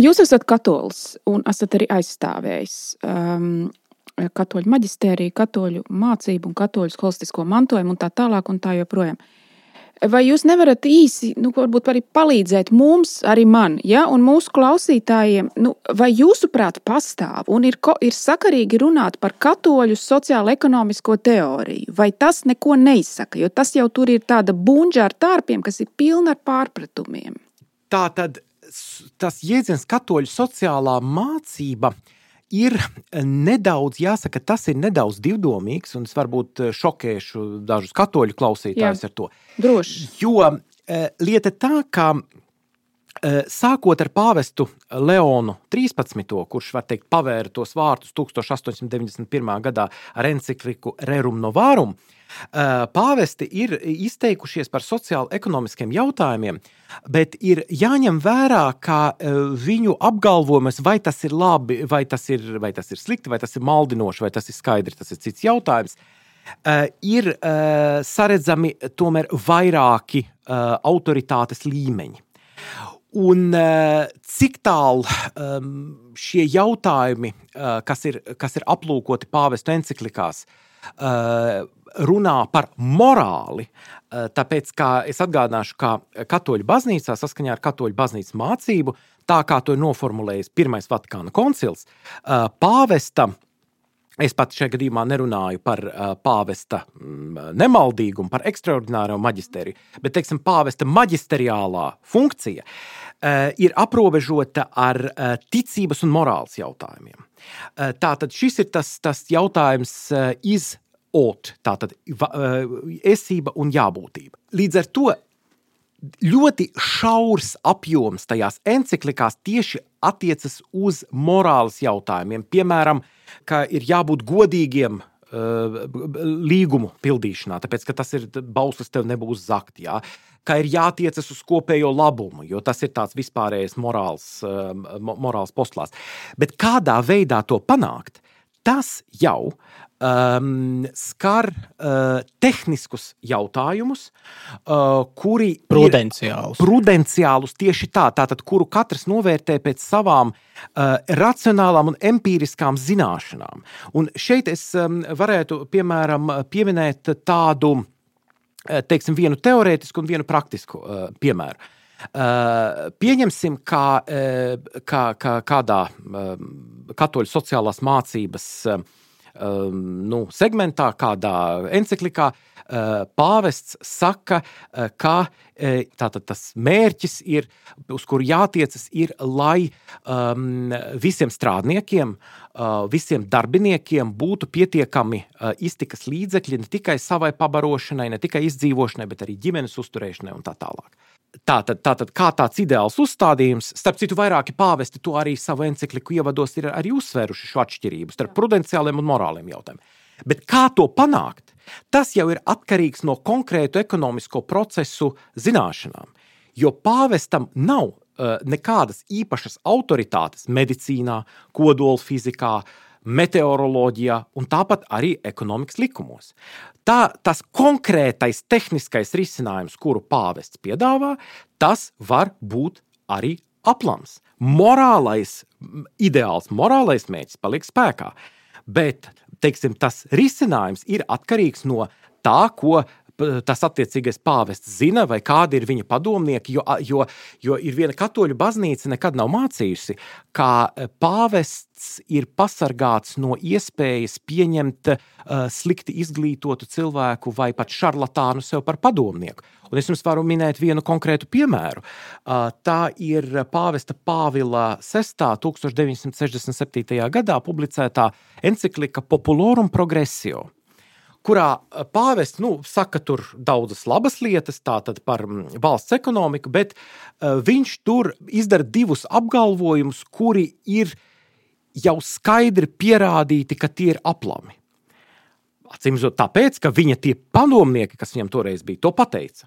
Jūs esat katolis un esat arī aizstāvējis um, katoļu maģistēriju, katoļu mācību un katoļu holistisko mantojumu un tā tālāk un tā joprojām. Vai jūs nevarat īsi, nu, varbūt arī palīdzēt mums, arī man, ja, un mūsu klausītājiem, nu, vai jūsuprāt pastāv un ir, ir sakarīgi runāt par katoļu sociālo-ekonomisko teoriju, vai tas neko neizsaka, jo tas jau tur ir tāda bunģa ar tārpiem, kas ir pilna ar pārpratumiem? Tā tad tas jēdziens katoļu sociālā mācība ir nedaudz, jāsaka, tas ir nedaudz divdomīgs, un es varbūt šokēšu dažus katoļu klausītājus ar to. Droši. Jo e, lieta tā, ka e, sākot ar pāvestu Leonu trīspadsmito, kurš, var teikt, pavēra tos vārtus tūkstoš astoņsimt deviņdesmit pirmā gadā ar encikliku Rerum Novarum, pāvesti ir izteikušies par sociāli-ekonomiskiem jautājumiem, bet ir jāņem vērā, ka viņu apgalvojumus, vai tas ir labi, vai tas ir, vai tas ir slikti, vai tas ir maldinoši, vai tas ir skaidri, tas ir cits jautājums, ir saredzami tomēr vairāki autoritātes līmeņi. Un cik tālu šie jautājumi, kas ir, kas ir aplūkoti pāvestu enciklikās, runā par morāli, tāpēc, kā es atgādināšu, kā katoļu baznīcā, saskaņā ar katoļu baznīcas mācību, tā kā to ir noformulējis Pirmais Vatikāna koncils, pāvesta Es pat šajā gadījumā nerunāju par uh, pāvesta mm, nemaldīgumu, par ekstraordināro maģisteriju, bet, teiksim, pāvesta maģisteriālā funkcija uh, ir aprobežota ar uh, ticības un morāles jautājumiem. Uh, tātad šis ir tas, tas jautājums uh, iz ot, tātad uh, esība un jābūtība. Līdz ar to ļoti šaurs apjoms tajās enciklikās tieši attiecas uz morāles jautājumiem. Piemēram, ka ir jābūt godīgiem uh, līgumu pildīšanā, tāpēc, ka tas ir bauslis tev nebūs zakt, jā. Ka ir jātiecas uz kopējo labumu, jo tas ir tāds vispārējais morāls, uh, morāls postulāts. Bet kādā veidā to panākt, tas jau um, skar uh, tehniskus jautājumus, uh, kuri Prudenciālus. ir prudenciālus tieši tā, tātad, kuru katrs novērtē pēc savām uh, racionālām un empīriskām zināšanām. Un šeit es um, varētu, piemēram, pieminēt tādu, teiksim, vienu teorētisku un vienu praktisku uh, piemēru. Uh, pieņemsim, kā, uh, kā, kā kādā uh, katoļu sociālās mācības uh, nu, segmentā, kādā enciklikā uh, pāvests saka, uh, ka uh, tātad tas mērķis ir, uz kuru jātiecas, ir, lai um, visiem strādniekiem, uh, visiem darbiniekiem būtu pietiekami uh, iztikas līdzekļi ne tikai savai pabarošanai, ne tikai izdzīvošanai, bet arī ģimenes uzturēšanai un tā tālāk. Tātad, tātad, kā tāds ideāls uzstādījums, starp citu vairāki pāvesti to arī savu encikliku ievados ir arī uzsvēruši šo atšķirību starp prudenciāliem un morāliem jautājumiem. Bet kā to panākt, tas jau ir atkarīgs no konkrētu ekonomisko procesu zināšanām, jo pāvestam nav uh, nekādas īpašas autoritātes medicīnā, kodolfizikā, meteoroloģijā un tāpat arī ekonomikas likumos. Tā, tas konkrētais tehniskais risinājums, kuru pāvests piedāvā, tas var būt arī aplams. Morālais ideāls, morālais mērķis paliek spēkā, bet, teiksim, tas risinājums ir atkarīgs no tā, ko tas attiecīgais pāvests zina, vai kādi ir viņa padomnieki, jo, jo, jo ir viena katoļu baznīca nekad nav mācījusi, kā pāvests ir pasargāts no iespējas pieņemt uh, slikti izglītotu cilvēku vai pat šarlatānu sev par padomnieku. Un es jums varu minēt vienu konkrētu piemēru. Uh, tā ir pāvesta Pāvila sestā tūkstoš deviņsimt sešdesmit septītajā gadā publicētā enciklika Populorum Progressio, kurā pāvests, nu, saka tur daudzas labas lietas, tātad par valsts ekonomiku, bet uh, viņš tur izdara divus apgalvojumus, kuri ir jau skaidri pierādīti, ka tie ir aplami. Acīmredzot tāpēc, ka viņa tie padomnieki, kas viņam toreiz bija, to pateica.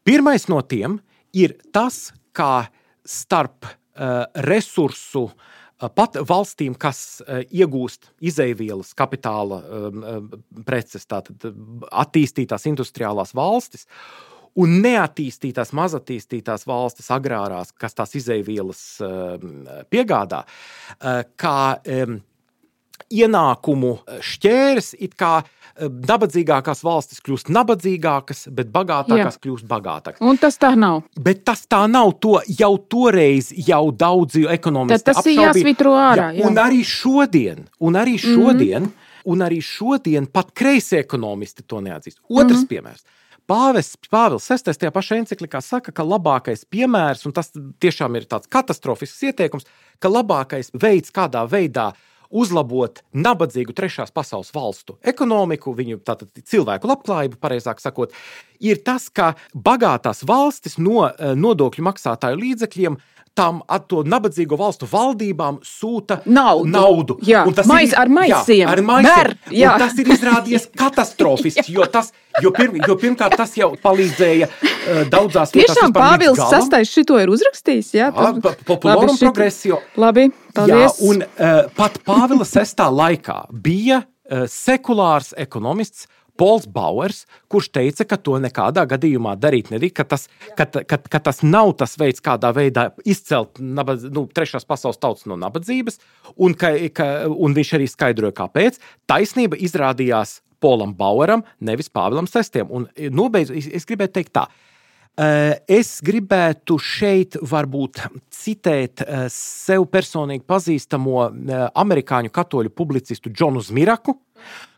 Pirmais no tiem ir tas, kā starp uh, resursu pat valstīm, kas iegūst izeivielas kapitāla preces, tātad attīstītās industriālās valstis un neattīstītās, mazatīstītās valstis agrārās, kas tās izeivielas piegādā, kā ienākumu šķērs, it kā nabadzīgākās valstis kļūst nabadzīgākas, bet bagātākās Jā. Kļūst bagātākas. Un tas tā nav. Bet tas tā nav, to jau toreiz jau daudzi ekonomisti apšaubīja. Tas ir jāsvitro ārā. Jā. Un arī šodien, un arī šodien, mm-hmm. un arī šodien pat kreisi ekonomisti to neatzīst. Otrs mm-hmm. piemērs. Pāvests Pāvils sestais tajā pašā enciklikā saka, ka labākais piemērs, un tas tiešām ir tāds katastrofisks ieteikums, ka labākais veids, kādā veidā uzlabot nabadzīgu trešās pasaules valstu ekonomiku, viņu tātad cilvēku labklājību, pareizāk sakot, ir tas, ka bagātās valstis no nodokļu maksātāju līdzekļiem tām to nabadzīgo valstu valdībām sūta naudu. naudu. Jā, mais, ir, ar maisiem. Jā, ar maisiem. Ber, jā. Un tas ir izrādies katastrofiski, jo, tas, jo, pirm, jo pirmkārt tas jau palīdzēja uh, daudzās vietās. Tiešām Pāvils sastais šito ir uzrakstījis, jā? Jā, Populorum Progressio. Labi, paldies. Jā, un uh, pat Pāvila sestā laikā bija uh, sekulārs ekonomists Pols Bauers, kurš teica, ka to nekādā gadījumā darīt nedrīkst, ka tas, ka, ka, ka tas nav tas veids, kādā veidā izcelt nabadz, nu, trešās pasaules tautas no nabadzības, un, ka, ka, un viņš arī skaidroja, kāpēc. Taisnība izrādījās Polam Baueram, nevis Pāvilam sestajam. Un nobeidz, es, es gribētu teikt tā, Es gribētu šeit varbūt citēt sev personīgi pazīstamo amerikāņu katoļu publicistu Džonu Zmiraku,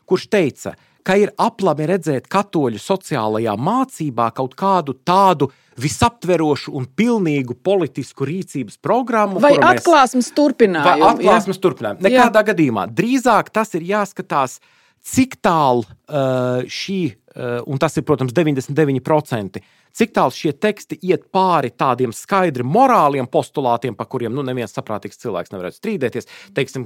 kurš teica, ka ir aplami redzēt katoļu sociālajā mācībā kaut kādu tādu visaptverošu un pilnīgu politisku rīcības programmu. Vai atklāsmes turpinājumu. Vai atklāsmes turpinājumu. Nekādā jā. gadījumā. Drīzāk tas ir jāskatās, cik tālu uh, šī, uh, un tas ir, protams, deviņdesmit deviņi procenti, cik tālu šie teksti iet pāri tādiem skaidri morāliem postulātiem, pa kuriem nu, neviens saprātīgs cilvēks nevarētu strīdēties. Teiksim,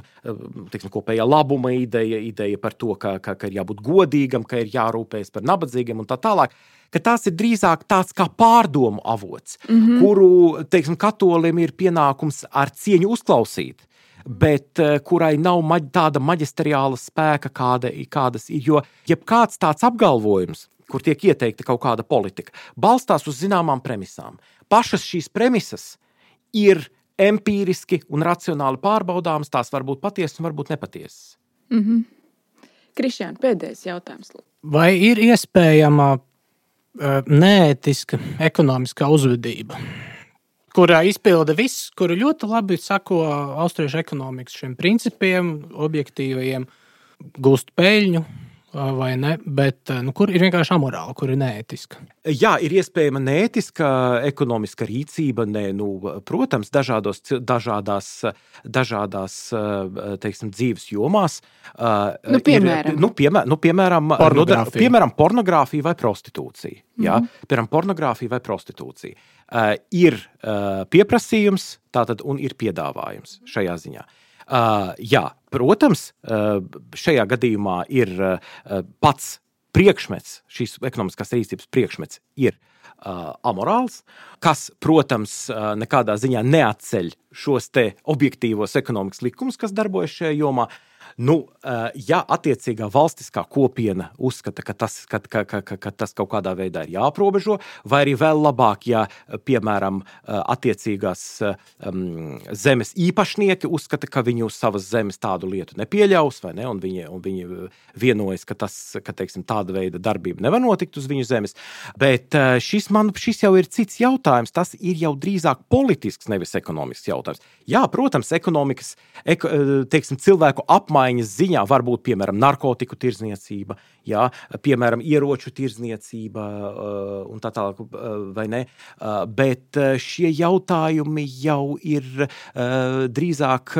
teiksim, kopējā labuma ideja, ideja par to, ka, ka, ka ir jābūt godīgam, ka ir jārūpējas par nabadzīgiem un tā tālāk, ka tās ir drīzāk tāds kā pārdomu avots, mm-hmm. kuru, teiksim, katolim ir pienākums ar cieņu uzklausīt, bet kurai nav maģ, tāda maģisteriāla spēka, kāda, kādas ir, jo jebkāds tāds apgalvojums, kur tiek ieteikta kaut kāda politika, balstās uz zināmām premisām. Pašas šīs premisas ir empīriski un racionāli pārbaudāmas, tās var būt patiesas un varbūt nepatiesas. Mm-hmm. Krišjān, pēdējais jautājums. Vai ir iespējama uh, neētiska ekonomiskā uzvedība, kurā izpilda viss, kuru ļoti labi sako austriešu ekonomikas šiem principiem, objektīvajiem, gūst peļņu, vai ne, bet nu, kur ir vienkārši amorāla, kur ir neētiska? Jā, ir iespējama neētiska ekonomiska rīcība, ne, nu, protams, dažādos, dažādās, dažādās, teiksim, dzīves jomās. Nu, piemēram. Ir, nu, piemēram, nu, piemēram, pornogrāfija. piemēram, pornogrāfija vai prostitūcija. Mm-hmm. Jā, piemēram, pornogrāfija vai prostitūcija. Uh, ir uh, pieprasījums, tātad, un ir piedāvājums šajā ziņā. Uh, jā, protams, uh, šajā gadījumā ir uh, pats priekšmets, šīs ekonomiskās rīcības priekšmets ir uh, amorāls, kas, protams, uh, nekādā ziņā neatceļ šos te objektīvos ekonomikas likumus, kas darbojas šajā jomā. Nu, ja attiecīgā valstiskā kopiena uzskata, ka tas, ka, ka, ka, ka tas kaut kādā veidā ir jāaprobežo, vai arī vēl labāk, ja, piemēram, attiecīgās um, zemes īpašnieki uzskata, ka viņi uz savas zemes tādu lietu nepieļaus, vai ne, un viņi, un viņi vienojas, ka, tas, ka teiksim, tāda veida darbība nevar notikt uz viņu zemes. Bet šis, man, šis jau ir cits jautājums, tas ir jau drīzāk politisks, nevis ekonomisks jautājums. Jā, protams, ekonomikas, eko, teiksim, cilvēku apmaiņas ziņā var būt, piemēram, narkotiku tirdzniecība, jā, piemēram, ieroču tirdzniecība un tā tālāk, vai ne, bet šie jautājumi jau ir drīzāk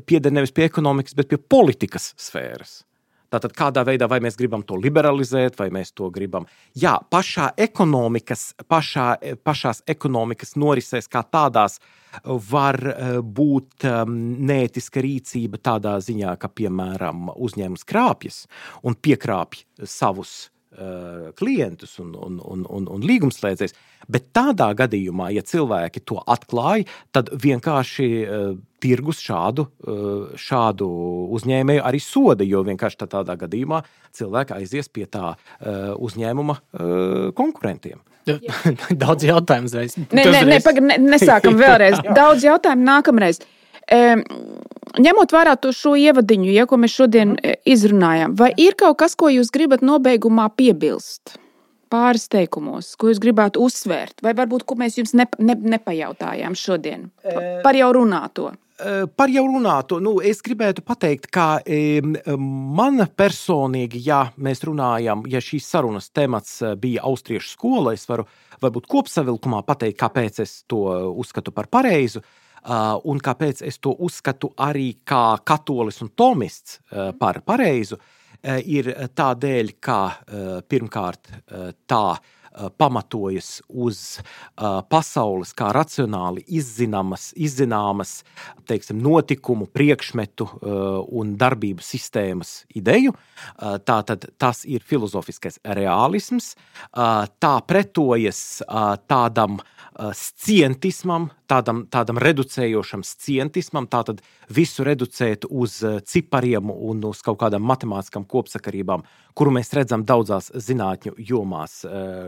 pieder nevis pie ekonomikas, bet pie politikas sfēras. Tātad kādā veidā vai mēs gribam to liberalizēt, vai mēs to gribam. Jā, pašā ekonomikas, pašā, pašās ekonomikas norisēs kā tādās var būt neētiska rīcība tādā ziņā, ka, piemēram, uzņēmums krāpjas un piekrāpj savus uh, klientus un, un, un, un, un līgumslēdzējs. Bet tādā gadījumā, ja cilvēki to atklāja, tad vienkārši uh, tirgus šādu, uh, šādu uzņēmēju arī soda, jo vienkārši tādā gadījumā cilvēki aizies pie tā uh, uzņēmuma uh, konkurentiem. Daudz jautājumu uzreiz. Nē, nē, nē, pag, ne, nesākam vēlreiz. Daudz jautājumu nākamreiz. E, ņemot vērā to šo ievadiņu, ja, ko mēs šodien izrunājām, vai ir kaut kas, ko jūs gribat nobeigumā piebilst? Pāris teikumos, ko jūs gribētu uzsvērt? Vai varbūt, ko mēs jums ne, ne, nepajautājām šodien? Par jau runāto. Par jau runāto, nu, es gribētu pateikt, ka e, man personīgi, ja mēs runājam, ja šīs sarunas temats bija austriešu skola, es varu varbūt kopsavilkumā pateikt, kāpēc es to uzskatu par pareizu, uh, un kāpēc es to uzskatu arī kā katolis un tomists uh, par pareizu, uh, ir tādēļ, ka uh, pirmkārt uh, tā pamatojas uz uh, pasaules kā racionāli izzināmas, izzināmas teiksim, notikumu, priekšmetu uh, un darbību sistēmas ideju. Uh, tātad tas ir filozofiskais realisms. Uh, tā pretojas uh, tādam uh, scientismam, tādam, tādam reducējošam scientismam, tātad visu reducēt uz cipariem un uz kaut kādām matemātiskām kopsakarībām, kuru mēs redzam daudzās zinātņu jomās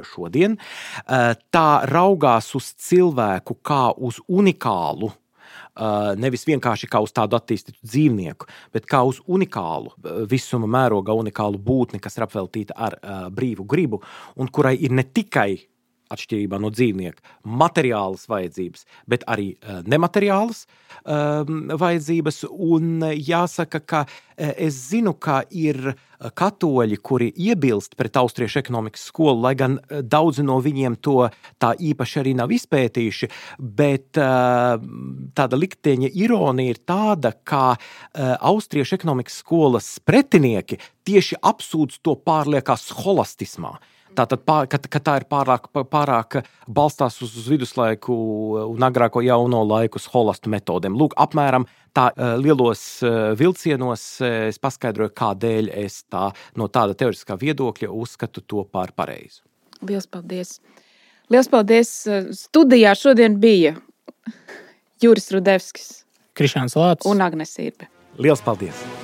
šodien. Tā raugās uz cilvēku kā uz unikālu, nevis vienkārši kā uz tādu attīstītu dzīvnieku, bet kā uz unikālu, visuma mērogā unikālu būtni, kas ir apveltīta ar brīvu gribu, un kurai ir ne tikai atšķirībā no dzīvnieka, materiālas vajadzības, bet arī uh, nemateriālas um, vajadzības. Un jāsaka, ka uh, es zinu, ka ir katoļi, kuri iebilst pret austriešu ekonomikas skolu, lai gan daudzi no viņiem to tā īpaši arī nav izpētījuši, bet uh, tāda likteņa ironija ir tāda, ka uh, austriešu ekonomikas skolas pretinieki tieši apsūdz to pārliekā scholastismā. Tātad, ka, ka tā ir pārāk, pārāk balstās uz viduslaiku un agrāko jauno laiku scholastu metodēm. Lūk, apmēram tā lielos vilcienos es paskaidroju, kādēļ es tā, no tāda teoretiskā viedokļa uzskatu to par pareizu. Liels paldies! Liels paldies! Studijā šodien bija Juris Rudevskis Krišjāns Lācis un Agnes Irbe. Liels paldies!